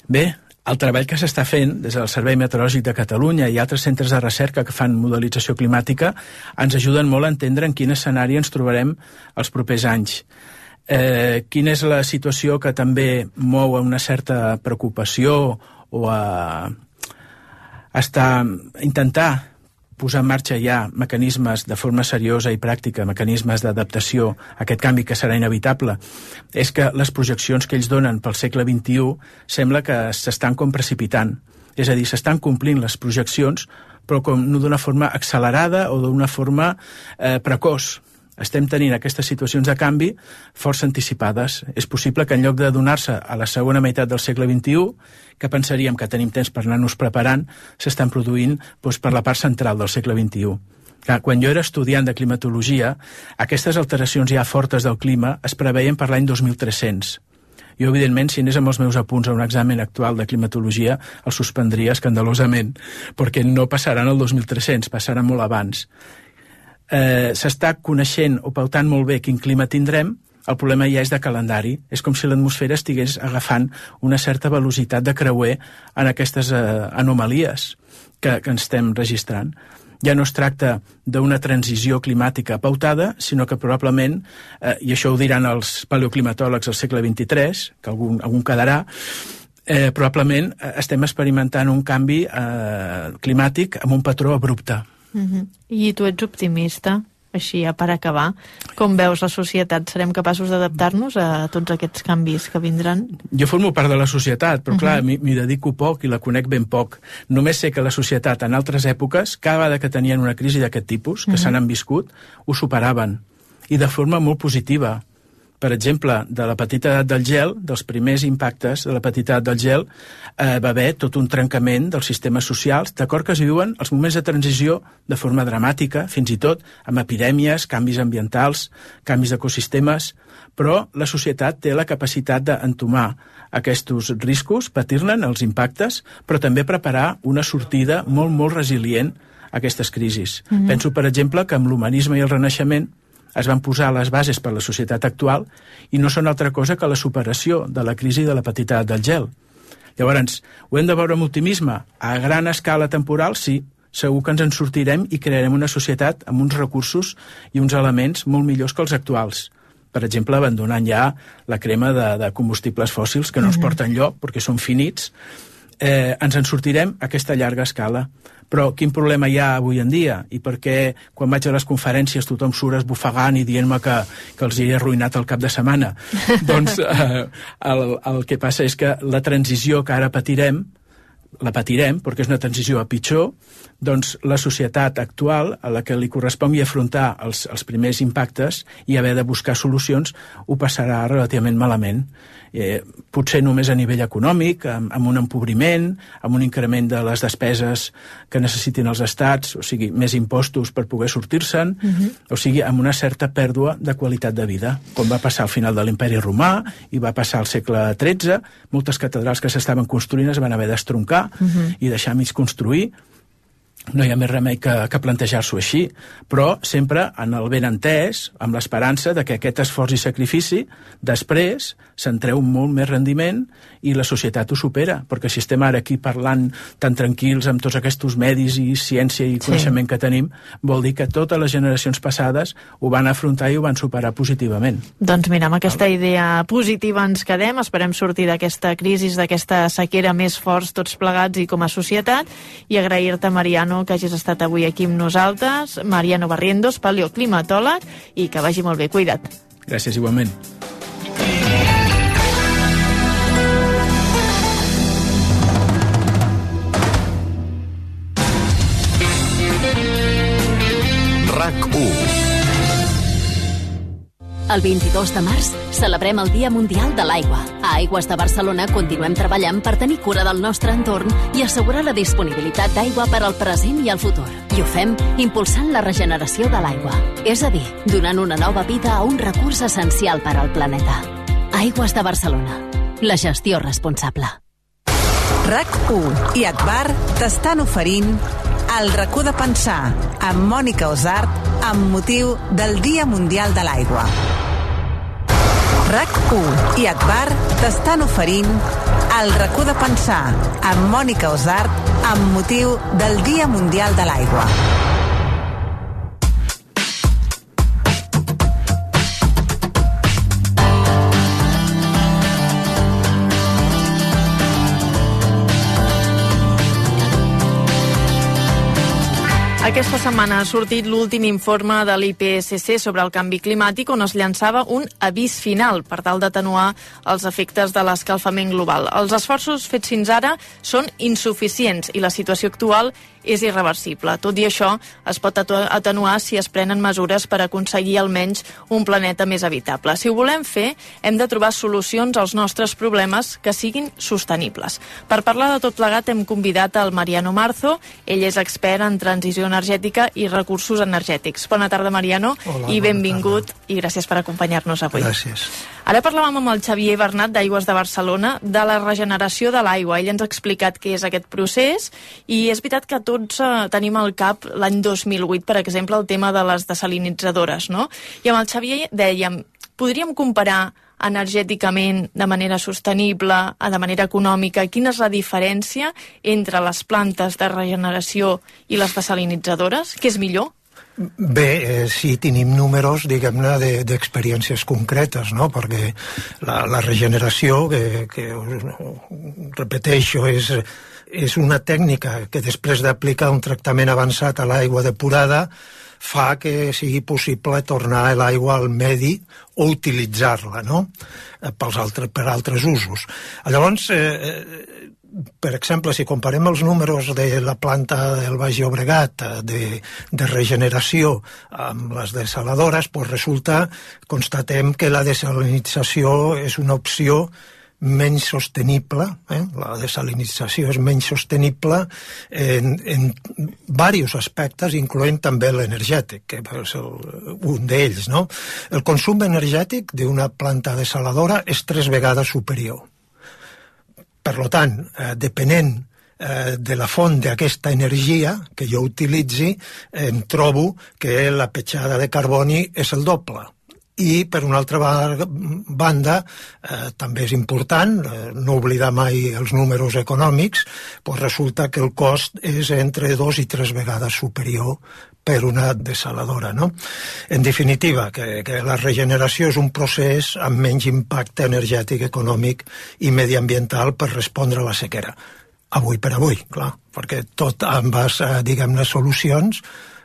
Bé, el treball que s'està fent des del Servei Meteorològic de Catalunya i altres centres de recerca que fan modelització climàtica ens ajuden molt a entendre en quin escenari ens trobarem els propers anys. Eh, quina és la situació que també mou a una certa preocupació o a està intentar posar en marxa ja mecanismes de forma seriosa i pràctica, mecanismes d'adaptació a aquest canvi que serà inevitable, és que les projeccions que ells donen pel segle vint-i-u sembla que s'estan com precipitant. És a dir, s'estan complint les projeccions, però com no d'una forma accelerada o d'una forma eh, precoç. Estem tenint aquestes situacions de canvi força anticipades. És possible que en lloc de donar-se a la segona meitat del segle vint-i-u, que pensaríem que tenim temps per anar-nos preparant, s'estan produint doncs, per la part central del segle vint-i-u. Quan jo era estudiant de climatologia, aquestes alteracions ja fortes del clima es preveien per l'any dos mil tres-cents. Jo, evidentment, si anés amb els meus apunts a un examen actual de climatologia, el suspendria escandalosament, perquè no passaran el dos mil tres-cents, passaran molt abans. Eh, s'està coneixent o pautant molt bé quin clima tindrem El problema ja és de calendari. És com si l'atmosfera estigués agafant una certa velocitat de creuer en aquestes eh, anomalies que, que ens estem registrant. Ja no es tracta d'una transició climàtica pautada, sinó que probablement, eh, i això ho diran els paleoclimatòlegs del segle vint-i-tres, que algun, algun quedarà, eh, probablement estem experimentant un canvi eh, climàtic amb un patró abrupte. Uh-huh. I tu ets optimista? Així, ja per acabar, com veus la societat? Serem capaços d'adaptar-nos a tots aquests canvis que vindran? Jo formo part de la societat, però clar, uh-huh. m'hi dedico poc i la conec ben poc. Només sé que la societat en altres èpoques, cada vegada que tenien una crisi d'aquest tipus, que uh-huh. s'han viscut, ho superaven. I de forma molt positiva. Per exemple, de la petita edat del gel, dels primers impactes de la petita edat del gel, eh, va haver tot un trencament dels sistemes socials, d'acord que es viuen els moments de transició de forma dramàtica, fins i tot amb epidèmies, canvis ambientals, canvis d'ecosistemes, però la societat té la capacitat d'entomar aquests riscos, patir-ne els impactes, però també preparar una sortida molt, molt resilient a aquestes crisis. Mm-hmm. Penso, per exemple, que amb l'humanisme i el Renaixement es van posar les bases per a la societat actual i no són altra cosa que la superació de la crisi de la petita edat del gel. Llavors, ho hem de veure amb optimisme? A gran escala temporal, sí. Segur que ens en sortirem i crearem una societat amb uns recursos i uns elements molt millors que els actuals. Per exemple, abandonant ja la crema de, de combustibles fòssils que no ens porten lloc perquè són finits. Eh, ens en sortirem a aquesta llarga escala. Però quin problema hi ha avui en dia? I per què quan vaig a les conferències tothom surt esbufegant i dient-me que, que els hi he arruïnat el cap de setmana? Doncs eh, el, el que passa és que la transició que ara patirem, la patirem perquè és una transició a pitjor, doncs la societat actual a la que li correspongui afrontar els, els primers impactes i haver de buscar solucions ho passarà relativament malament. Eh, potser només a nivell econòmic, amb, amb un empobriment, amb un increment de les despeses que necessitin els estats, o sigui, més impostos per poder sortir-se'n, uh-huh. o sigui, amb una certa pèrdua de qualitat de vida, com va passar al final de l'Imperi Romà i va passar al segle tretze, moltes catedrals que s'estaven construint es van haver d'estroncar uh-huh. i deixar mig construir. No hi ha més remei que, que plantejar-s'ho així, però sempre en el benentès, amb l'esperança de que aquest esforç i sacrifici després se'n treu molt més rendiment i la societat ho supera, perquè si estem ara aquí parlant tan tranquils amb tots aquests medis i ciència i coneixement sí. que tenim, vol dir que totes les generacions passades ho van afrontar i ho van superar positivament. Doncs mira, amb aquesta idea positiva ens quedem, esperem sortir d'aquesta crisi, d'aquesta sequera més forts tots plegats i com a societat, i agrair-te, Mariano, que hagis estat avui aquí amb nosaltres. Mariano Barrientos, paleoclimatòleg, i que vagi molt bé. Cuida't. Gràcies, igualment. RAC u. El vint-i-dos de març celebrem el Dia Mundial de l'Aigua. A Aigües de Barcelona continuem treballant per tenir cura del nostre entorn i assegurar la disponibilitat d'aigua per al present i al futur. I ho fem impulsant la regeneració de l'aigua. És a dir, donant una nova vida a un recurs essencial per al planeta. Aigües de Barcelona. La gestió responsable. RAC u i Akbar t'estan oferint El racó de pensar amb Mònica Osart amb motiu del Dia Mundial de l'Aigua. RAC u i Akbar t'estan oferint El racó de pensar amb Mònica Osart amb motiu del Dia Mundial de l'Aigua. Aquesta setmana ha sortit l'últim informe de l'I P C C sobre el canvi climàtic, on es llançava un avís final per tal d'atenuar els efectes de l'escalfament global. Els esforços fets fins ara són insuficients i la situació actual és irreversible. Tot i això, es pot atenuar si es prenen mesures per aconseguir almenys un planeta més habitable. Si ho volem fer, hem de trobar solucions als nostres problemes que siguin sostenibles. Per parlar de tot plegat hem convidat el Mariano Marzo. Ell és expert en transició energètica i recursos energètics. Bona tarda, Mariano. Hola, i benvingut i gràcies per acompanyar-nos avui. Gràcies. Ara parlàvem amb el Xavier Bernat d'Aigües de Barcelona de la regeneració de l'aigua. Ell ens ha explicat què és aquest procés i és veritat que tots eh, tenim al cap l'any dos mil vuit, per exemple, el tema de les desalinitzadores, no? I amb el Xavier dèiem Podríem comparar energèticament de manera sostenible, de manera econòmica, quina és la diferència entre les plantes de regeneració i les desalinitzadores? Què és millor? Bé, eh, sí, tenim números, diguem-ne, d'experiències concretes, no? Perquè la, la regeneració, que, que repeteixo, és, és una tècnica que després d'aplicar un tractament avançat a l'aigua depurada fa que sigui possible tornar l'aigua al medi o utilitzar-la, no? Pels altres, per altres usos. Llavors, eh, per exemple, si comparem els números de la planta del Baix Llobregat de, de regeneració amb les desaladores, doncs resulta, constatem que la desalinització és una opció menys sostenible, eh? La desalinització és menys sostenible en, en diversos aspectes, incloent també l'energètic, que és el, un d'ells, no? El consum energètic d'una planta desaladora és tres vegades superior. Per tant, eh, depenent eh, de la font d'aquesta energia que jo utilitzi, em trobo que la petjada de carboni és el doble. I, per una altra banda, eh, també és important, eh, no oblidar mai els números econòmics, doncs resulta que el cost és entre dos i tres vegades superior per una desaladora, no? En definitiva, que, que la regeneració és un procés amb menys impacte energètic, econòmic i mediambiental per respondre a la sequera. Avui per avui, clar, perquè tot amb les, eh, diguem-ne, solucions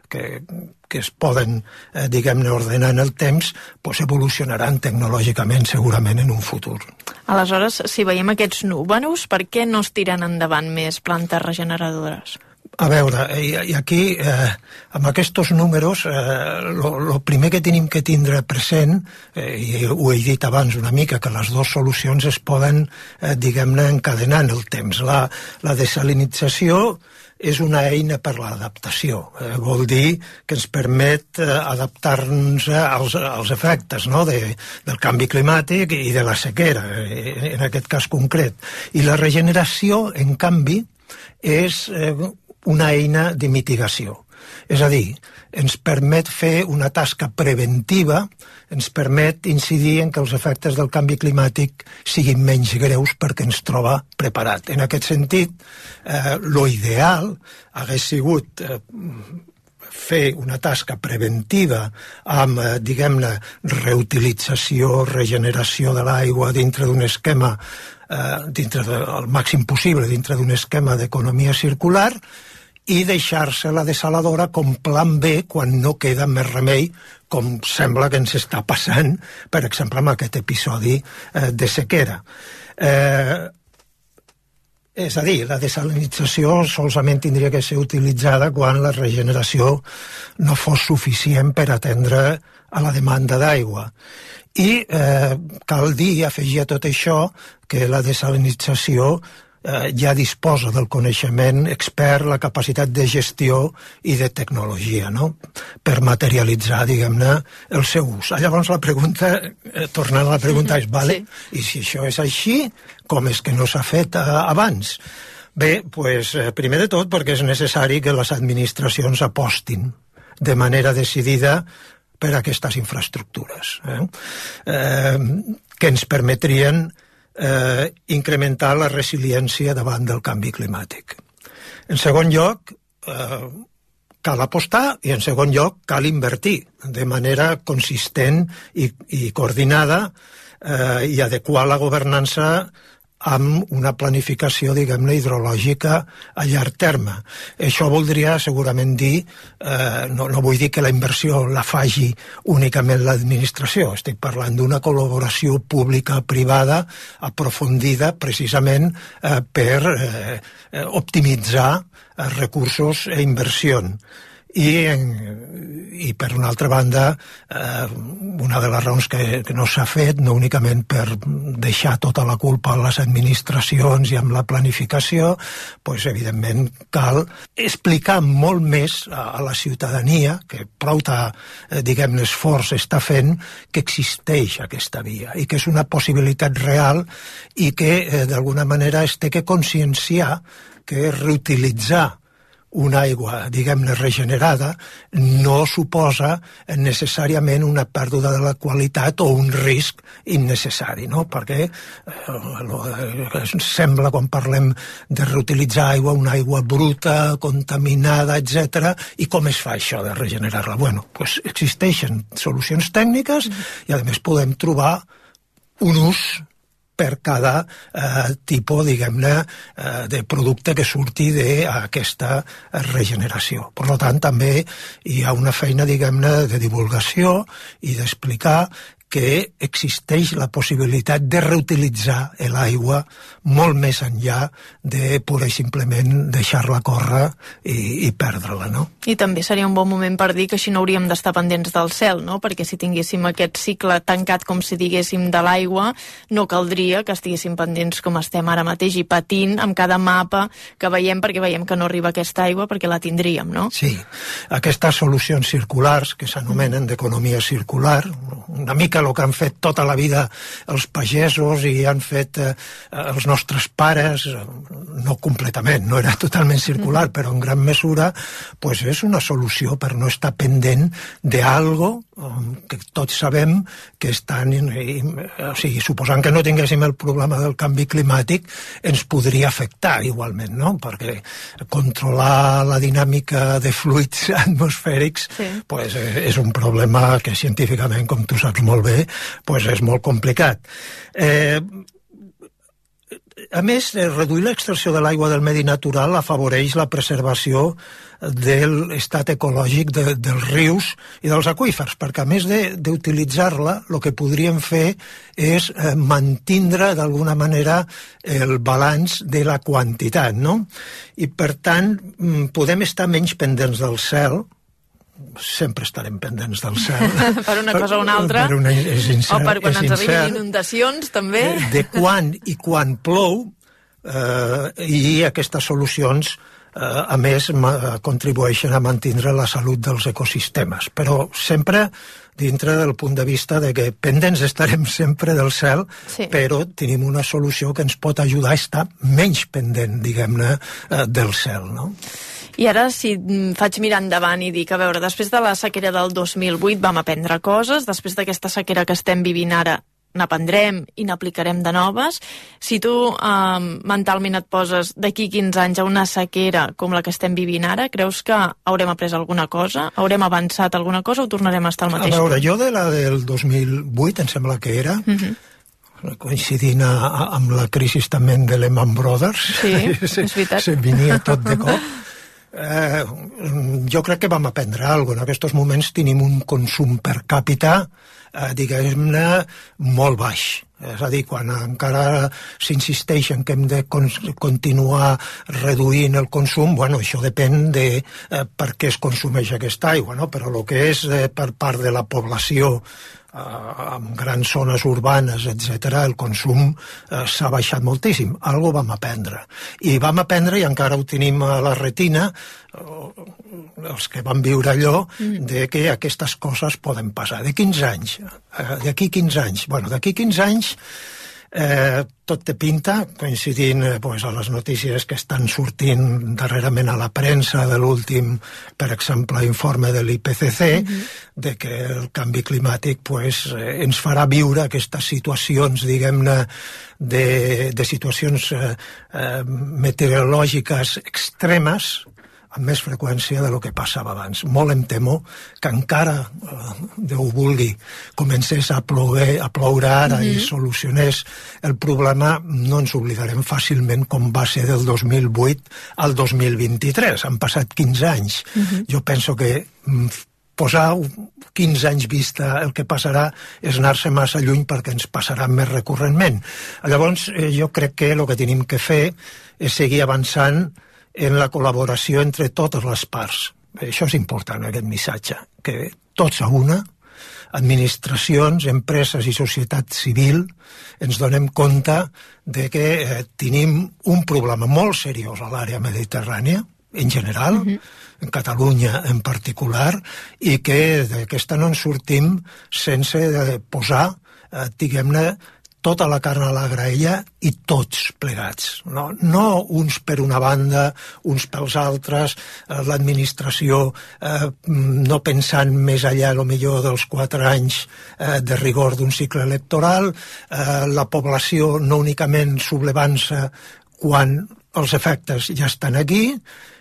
que, que es poden, eh, diguem-ne, ordenar en el temps, doncs evolucionaran tecnològicament segurament en un futur. Aleshores, si veiem aquests números, per què no es tiren endavant més plantes regeneradores? A veure, i, i aquí, eh, amb aquests números, el eh, primer que tenim que tindre present, eh, i ho he dit abans una mica, que les dues solucions es poden, eh, diguem-ne, encadenar en el temps. La, la desalinització és una eina per l'adaptació. Eh, vol dir que ens permet eh, adaptar-nos als, als efectes, no? de, del canvi climàtic i de la sequera, eh, en aquest cas concret. I la regeneració, en canvi, és eh, una eina de mitigació. És a dir, ens permet fer una tasca preventiva, ens permet incidir en que els efectes del canvi climàtic siguin menys greus perquè ens troba preparat. En aquest sentit, eh, lo ideal hagués sigut eh, fer una tasca preventiva amb, eh, diguem-ne, reutilització, regeneració de l'aigua dintre d'un esquema, eh, dintre de, el màxim possible, dintre d'un esquema d'economia circular, i deixar-se la desaladora com plan B quan no queda més remei, com sembla que ens està passant, per exemple, amb aquest episodi eh, de sequera. Eh, és a dir, la desalinització solament tindria que ser utilitzada quan la regeneració no fos suficient per atendre a la demanda d'aigua. I eh, cal dir, afegir a tot això, que la desalinització Eh, ja disposa del coneixement expert, la capacitat de gestió i de tecnologia, no?, per materialitzar, diguem-ne, el seu ús. Llavors la pregunta, eh, tornant a la pregunta, és, vale, sí. I si això és així, com és que no s'ha fet eh, abans? Bé, pues, eh, primer de tot perquè és necessari que les administracions apostin de manera decidida per a aquestes infraestructures, eh? Eh, que ens permetrien Eh, incrementar la resiliència davant del canvi climàtic. En segon lloc, eh, cal apostar, i en segon lloc cal invertir de manera consistent i, i coordinada eh, i adequar la governança amb una planificació, diguem-ne, hidrològica a llarg terme. Això voldria segurament dir, eh, no, no vull dir que la inversió la faci únicament l'administració, estic parlant d'una col·laboració pública-privada aprofundida precisament eh, per eh, optimitzar eh, recursos e inversió. I, en, i per una altra banda, eh, una de les raons que, que no s'ha fet, no únicament per deixar tota la culpa a les administracions i amb la planificació, doncs evidentment cal explicar molt més a, a la ciutadania, que prou eh, diguem-ne esforç està fent, que existeix aquesta via i que és una possibilitat real i que eh, d'alguna manera es té que conscienciar que reutilitzar una aigua, diguem-ne, regenerada, no suposa necessàriament una pèrdua de la qualitat o un risc innecessari, no? Perquè eh, sembla, quan parlem de reutilitzar aigua, una aigua bruta, contaminada, etcètera, i com es fa això de regenerar-la? Bueno, pues existeixen solucions tècniques i, a més, podem trobar un ús per cada eh, tipus, diguem-ne, eh, de producte que surti d'aquesta regeneració. Per tant, també hi ha una feina, diguem-ne, de divulgació i d'explicar que existeix la possibilitat de reutilitzar l'aigua molt més enllà de pura i simplement deixar-la córrer i, i perdre-la, no? I també seria un bon moment per dir que així no hauríem d'estar pendents del cel, no? Perquè si tinguéssim aquest cicle tancat, com si diguéssim, de l'aigua, no caldria que estiguéssim pendents com estem ara mateix i patint amb cada mapa que veiem, perquè veiem que no arriba aquesta aigua perquè la tindríem, no? Sí, aquestes solucions circulars que s'anomenen d'economia circular, una mica el que han fet tota la vida els pagesos i han fet eh, els nostres pares, no completament, no era totalment circular, mm. però en gran mesura, pues és una solució per no estar pendent d'algo que tots sabem que estan, i, o sigui, suposant que no tinguéssim el problema del canvi climàtic, ens podria afectar igualment, no? Perquè controlar la dinàmica de fluids atmosfèrics sí. pues, és un problema que científicament, com tu saps molt bé, pues és molt complicat. Eh, a més, reduir l'extracció de l'aigua del medi natural afavoreix la preservació de l'estat ecològic de, dels rius i dels aqüífers, perquè a més d'utilitzar-la, el que podríem fer és eh, mantindre d'alguna manera el balanç de la quantitat, no? I per tant, podem estar menys pendents del cel, sempre estarem pendents del cel. Per una cosa o una altra, per una, incert, o per quan ens arribin inundacions, també. De quan i quan plou, eh, i aquestes solucions, eh, a més, ma, contribueixen a mantenir la salut dels ecosistemes. Però sempre dintre del punt de vista de que pendents estarem sempre del cel, sí. però tenim una solució que ens pot ajudar a estar menys pendent, diguem-ne, eh, del cel, no? I ara, si faig mirar endavant i dic, a veure, després de la sequera del dos mil vuit vam aprendre coses, després d'aquesta sequera que estem vivint ara n'aprendrem i n'aplicarem de noves. Si tu eh, mentalment et poses d'aquí quinze anys a una sequera com la que estem vivint ara, creus que haurem après alguna cosa? Haurem avançat alguna cosa o tornarem a estar al mateix? A veure, jo de la del dos mil vuit, em sembla que era, uh-huh. coincidint a, a, amb la crisi també de Lehman Brothers, sí, se, és veritat. Se venia tot de cop. Eh, jo crec que vam aprendre alguna cosa. En aquests moments tenim un consum per càpita, eh, diguem-ne, molt baix. És a dir, quan encara s'insisteix en que hem de con continuar reduint el consum, bueno, això depèn de eh, per què es consumeix aquesta aigua, no? Però el que és eh, per part de la població, en grans zones urbanes, etcètera, el consum eh, s'ha baixat moltíssim. Algo vam aprendre. I vam aprendre, i encara ho tenim a la retina, eh, els que van viure allò, mm. de que aquestes coses poden passar. De quinze anys? Eh, d'aquí quinze anys? Bueno, d'aquí quinze anys Eh, tot té pinta, coincidint eh, pues, a les notícies que estan sortint darrerament a la premsa de l'últim, per exemple, informe de l'I P C C, mm-hmm. de que el canvi climàtic pues, eh, ens farà viure aquestes situacions, diguem-ne, de, de situacions eh, eh, meteorològiques extremes, amb més freqüència de lo que passava abans. Molt em temo que encara, eh, Déu vulgui, comencés a ploure, a ploure ara mm-hmm. i solucionés el problema, no ens oblidarem fàcilment com va ser del dos mil vuit al dos mil vint-i-tres. Han passat quinze anys. Mm-hmm. Jo penso que mm, posar quinze anys vista el que passarà és anar-se massa lluny perquè ens passarà més recurrentment. Llavors, eh, jo crec que el que tenim que fer és seguir avançant en la col·laboració entre totes les parts. Això és important, aquest missatge, que tots a una, administracions, empreses i societat civil, ens donem compte de que eh, tenim un problema molt seriós a l'àrea mediterrània, en general, uh-huh. en Catalunya en particular, i que d'aquesta no en sortim sense posar, eh, diguem-ne, tota la carn a la graella i tots plegats. No, no uns per una banda, uns pels altres, eh, l'administració eh, no pensant més enllà, a lo millor, dels quatre anys eh, de rigor d'un cicle electoral, eh, la població no únicament sublevant-se quan els efectes ja estan aquí,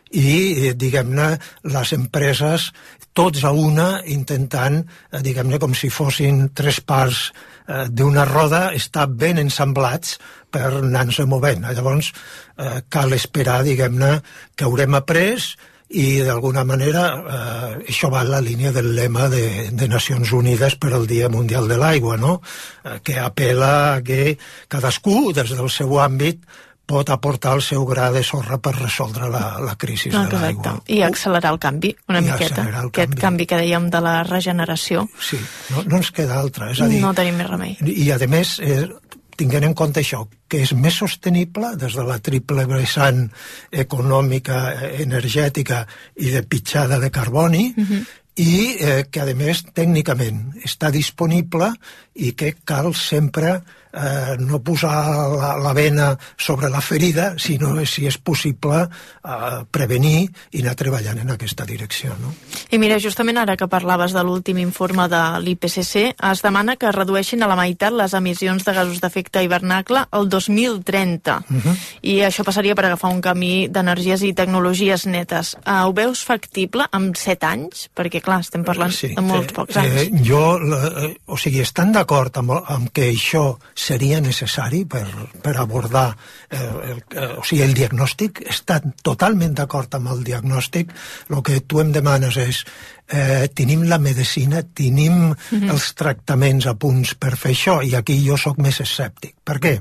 i, diguem-ne, les empreses tots a una intentant, diguem-ne, com si fossin tres parts eh, d'una roda, estar ben ensamblats per anar-se movent. Llavors, eh, cal esperar, diguem-ne, que haurem après i, d'alguna manera, eh, això va en la línia del lema de, de Nacions Unides per al Dia Mundial de l'Aigua, no? Eh, que apel·la a que cadascú, des del seu àmbit, pot aportar el seu gra de sorra per resoldre la, la crisi no, de l'aigua. I accelerar el canvi, una I miqueta. El Aquest canvi. canvi que dèiem de la regeneració. Sí, no, no ens queda altra. És a dir, no tenim més remei. I, a més, eh, tinguent en compte això, que és més sostenible des de la triple vessant econòmica, energètica i de pitjada de carboni, uh-huh. i eh, que, a més, tècnicament està disponible i que cal sempre eh, no posar la, la vena sobre la ferida, sinó, si és possible, eh, prevenir i anar treballant en aquesta direcció. No? I mira, justament ara que parlaves de l'últim informe de l'I P C C, es demana que redueixin a la meitat les emissions de gasos d'efecte hivernacle el dos mil trenta. Uh-huh. I això passaria per agafar un camí d'energies i tecnologies netes. Uh, ho veus factible amb set anys? Perquè, clar, estem parlant sí, de molts eh, pocs anys. Eh, jo, eh, o sigui, estan d'acord amb, amb que això seria necessari per, per abordar eh, el, eh, o sigui, el diagnòstic, estan totalment d'acord amb el diagnòstic. El que tu em demanes és eh, tenim la medicina, tenim mm-hmm. els tractaments a punts per fer això, i aquí jo sóc més escèptic. Per què?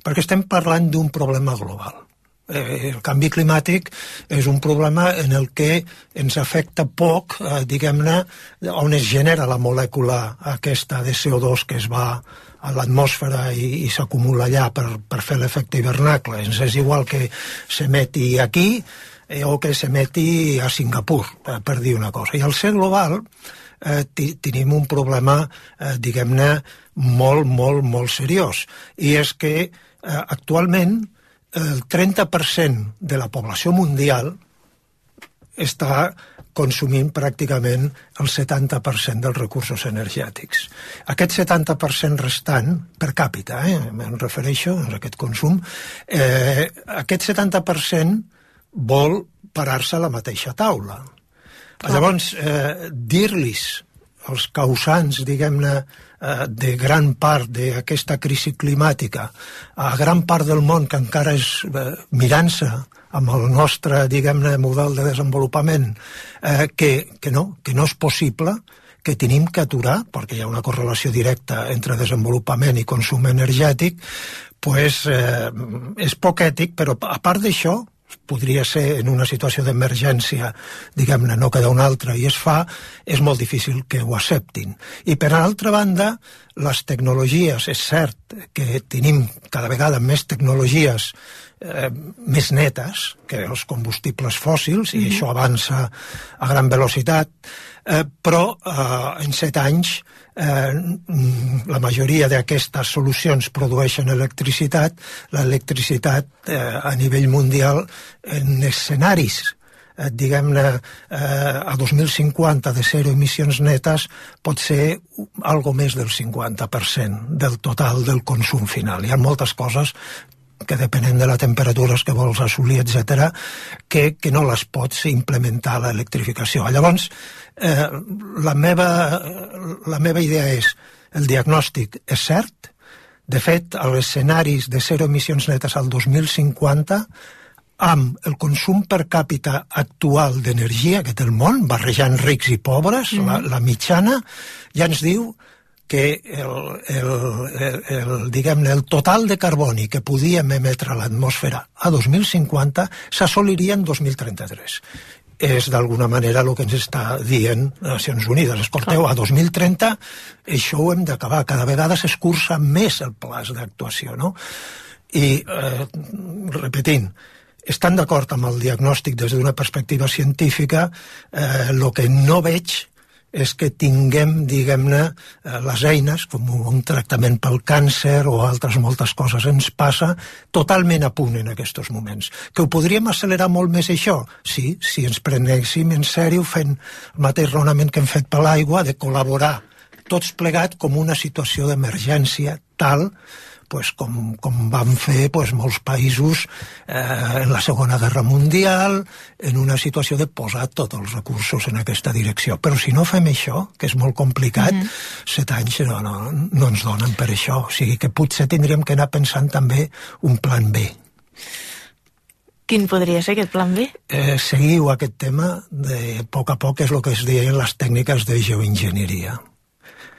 Perquè estem parlant d'un problema global. Eh, el canvi climàtic és un problema en el que ens afecta poc, eh, diguem-ne, on es genera la molècula aquesta de C O dos que es va a l'atmosfera i, i s'acumula allà per, per fer l'efecte hivernacle. Ens és igual que s'emeti aquí eh, o que s'emeti a Singapur, eh, per dir una cosa. I al ser global eh, tenim un problema, eh, diguem-ne, molt, molt, molt seriós. I és que eh, actualment el trenta per cent de la població mundial està consumint pràcticament el setanta per cent dels recursos energètics. Aquest setanta per cent restant, per càpita, eh, em refereixo a aquest consum, eh, aquest setanta per cent vol parar-se a la mateixa taula. Ah. Llavors, eh, dir-los els causants, diguem-ne, de gran part d'aquesta crisi climàtica a gran part del món que encara és eh, mirant-se amb el nostre, diguem-ne, model de desenvolupament, eh, que, que, no, que no és possible, que tenim que aturar, perquè hi ha una correlació directa entre desenvolupament i consum energètic, pues, eh, és poc ètic, però a part d'això, podria ser en una situació d'emergència, diguem-ne, no queda una altra, i es fa, és molt difícil que ho acceptin. I per altra banda, les tecnologies, és cert que tenim cada vegada més tecnologies eh, més netes que els combustibles fòssils, i mm-hmm. això avança a gran velocitat, eh, però eh, en set anys Eh, la majoria d'aquestes solucions produeixen electricitat. L'electricitat eh, a nivell mundial en escenaris eh, diguem-ne eh, a dos mil cinquanta de zero emissions netes pot ser algo més del cinquanta per cent del total del consum final. Hi ha moltes coses que depenent de la temperatura que vols assolir, etcètera, que, que no les pots implementar a l'electrificació. Llavors, eh, la, meva, la meva idea és, el diagnòstic és cert, de fet, els escenaris de zero emissions netes al dos mil cinquanta, amb el consum per càpita actual d'energia que té el món, barrejant rics i pobres, mm. la, la mitjana, ja ens diu que el, el, el, el, diguem-ne, el total de carboni que podíem emetre a l'atmosfera a dos mil cinquanta s'assoliria en dos mil trenta-tres. És d'alguna manera el que ens està dient Nacions Unides. Escolteu, a dos mil trenta això ho hem d'acabar. Cada vegada s'escurça més el plaç d'actuació, no? I, eh, repetint, estan d'acord amb el diagnòstic des d'una perspectiva científica, eh, el que no veig és que tinguem, diguem-ne, les eines, com un tractament pel càncer o altres moltes coses ens passa, totalment a punt en aquests moments. Que ho podríem accelerar molt més això? Sí, si ens prenéssim en sèrio fent el mateix raonament que hem fet per l'aigua, de col·laborar tots plegats com una situació d'emergència tal pues, com, com van fer pues, molts països eh, en la Segona Guerra Mundial, en una situació de posar tots els recursos en aquesta direcció. Però si no fem això, que és molt complicat, mm-hmm. set anys no, no, no ens donen per això. O sigui que potser tindríem que anar pensant també un plan B. Quin podria ser aquest plan B? Eh, seguiu aquest tema de a poc a poc, és el que es deien les tècniques de geoenginyeria.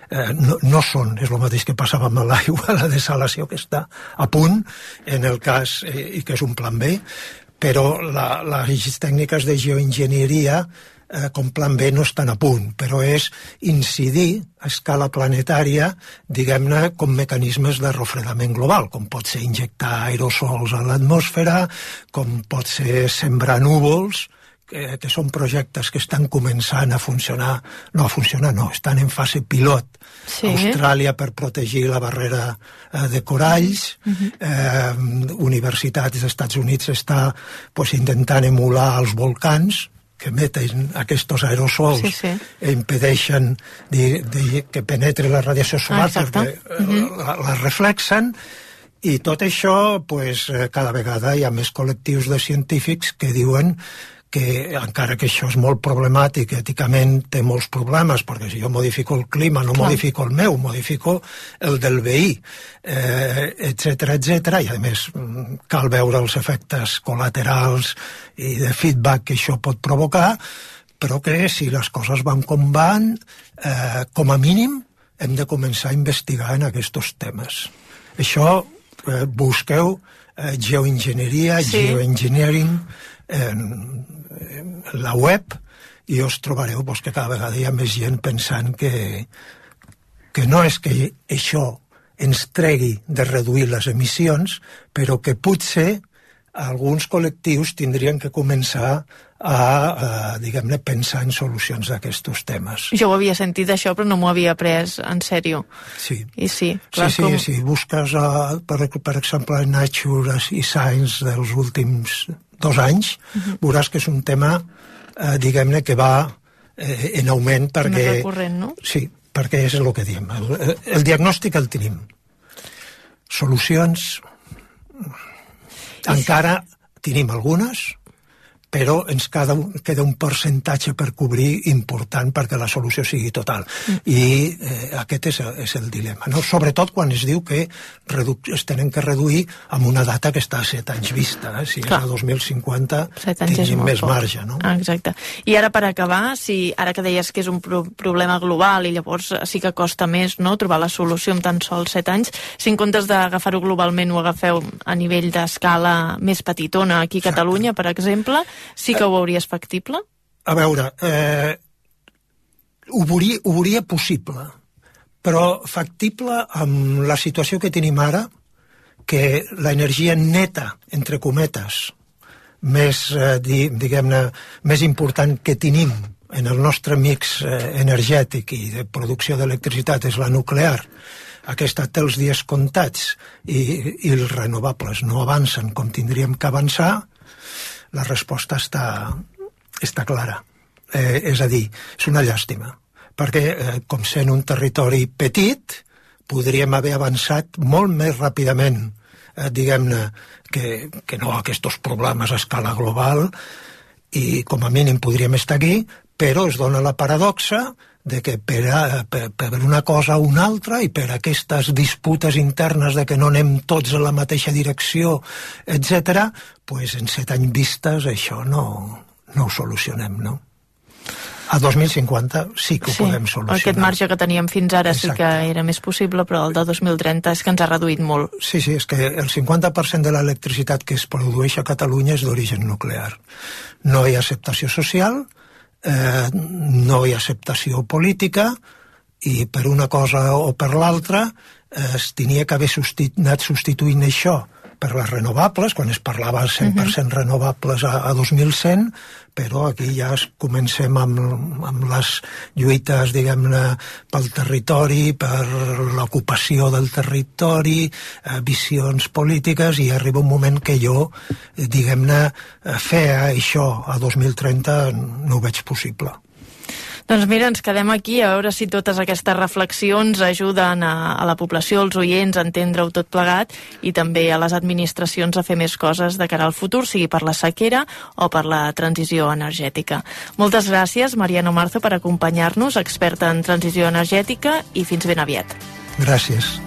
Eh, no, no són, és el mateix que passava amb l'aigua, la desalació que està a punt, en el cas, eh, i que és un plan B, però la, les tècniques de geoenginyeria eh, com plan B no estan a punt, però és incidir a escala planetària, diguem-ne, com mecanismes de refredament global, com pot ser injectar aerosols a l'atmosfera, com pot ser sembrar núvols, Que, que són projectes que estan començant a funcionar, no a funcionar, no, estan en fase pilot. Sí. Austràlia per protegir la barrera eh, de coralls, uh-huh. eh, universitats dels Estats Units està pues, intentant emular els volcans que emeten aquests aerosols sí, sí. i impedeixen de, de, que penetre la radiació solar ah, perquè uh-huh. la, la reflexen. I tot això, pues, cada vegada hi ha més col·lectius de científics que diuen que encara que això és molt problemàtic, èticament té molts problemes, perquè si jo modifico el clima, no Clar. modifico el meu, modifico el del veí, eh, etcètera, etcètera, i a més cal veure els efectes col·laterals i de feedback que això pot provocar, però que si les coses van com van, eh, com a mínim hem de començar a investigar en aquests temes. Això, eh, busqueu eh, geoenginyeria, sí. geoengineering, en la web i us trobareu pues, que cada vegada hi ha més gent pensant que, que no és que això ens tregui de reduir les emissions, però que potser alguns col·lectius tindrien que començar a, a diguem-ne, pensar en solucions d'aquests temes. Jo ho havia sentit això, però no m'ho havia pres en sèrio. Sí. I sí, clar, sí, sí, com... sí. Busques, uh, per, per exemple, Nature i Science dels últims dos anys, uh-huh. veuràs que és un tema, eh, diguem-ne, que va eh, en augment perquè... Més recurrent, no? Sí, perquè és el que diem. El, el diagnòstic el tenim. Solucions... Encara tenim algunes, però ens queda un, queda un percentatge per cobrir important perquè la solució sigui total. Mm. I eh, aquest és, és el dilema, no? Sobretot quan es diu que redu es tenen que reduir amb una data que està a set anys vista. Eh? Si Clar. és a dos mil cinquanta tenim més poc. marge. No? Ah, exacte. I ara per acabar, si ara que deies que és un pro problema global i llavors sí que costa més no, trobar la solució en tan sols set anys, si en comptes d'agafar-ho globalment ho agafeu a nivell d'escala més petitona aquí a Catalunya, per exemple, sí que ho veuries factible? A veure, eh, ho, veuria, ho veuria possible, però factible amb la situació que tenim ara, que l'energia neta, entre cometes, més, eh, diguem-ne, més important que tenim en el nostre mix eh, energètic i de producció d'electricitat és la nuclear. Aquesta té els dies comptats i, i els renovables no avancen com tindríem que avançar. La resposta està, està clara. Eh, és a dir, és una llàstima, perquè, eh, com sent un territori petit, podríem haver avançat molt més ràpidament, eh, diguem-ne, que, que no aquests problemes a escala global, i com a mínim podríem estar aquí, però es dona la paradoxa de que per, a, per, per una cosa o una altra i per aquestes disputes internes de que no anem tots a la mateixa direcció, etcètera, pues en set anys vistes això no, no ho solucionem, no? A dos mil cinquanta sí que ho sí, podem solucionar. Aquest marge que teníem fins ara Exacte. sí que era més possible, però el de dos mil trenta és que ens ha reduït molt. Sí, sí, és que el cinquanta per cent de l'electricitat que es produeix a Catalunya és d'origen nuclear. No hi ha acceptació social, eh, no hi ha acceptació política, i per una cosa o per l'altra eh, es tenia que haver substitu anat substituint això per les renovables, quan es parlava cent per cent renovables a, a dos mil cent, però aquí ja es comencem amb, amb les lluites, diguem-ne, pel territori, per l'ocupació del territori, eh, visions polítiques, i arriba un moment que jo, eh, diguem-ne, fer això a dos mil trenta no ho veig possible. Doncs mira, ens quedem aquí a veure si totes aquestes reflexions ajuden a, a la població, als oients, a entendre-ho tot plegat, i també a les administracions a fer més coses de cara al futur, sigui per la sequera o per la transició energètica. Moltes gràcies, Mariano Marzo, per acompanyar-nos, experta en transició energètica, i fins ben aviat. Gràcies.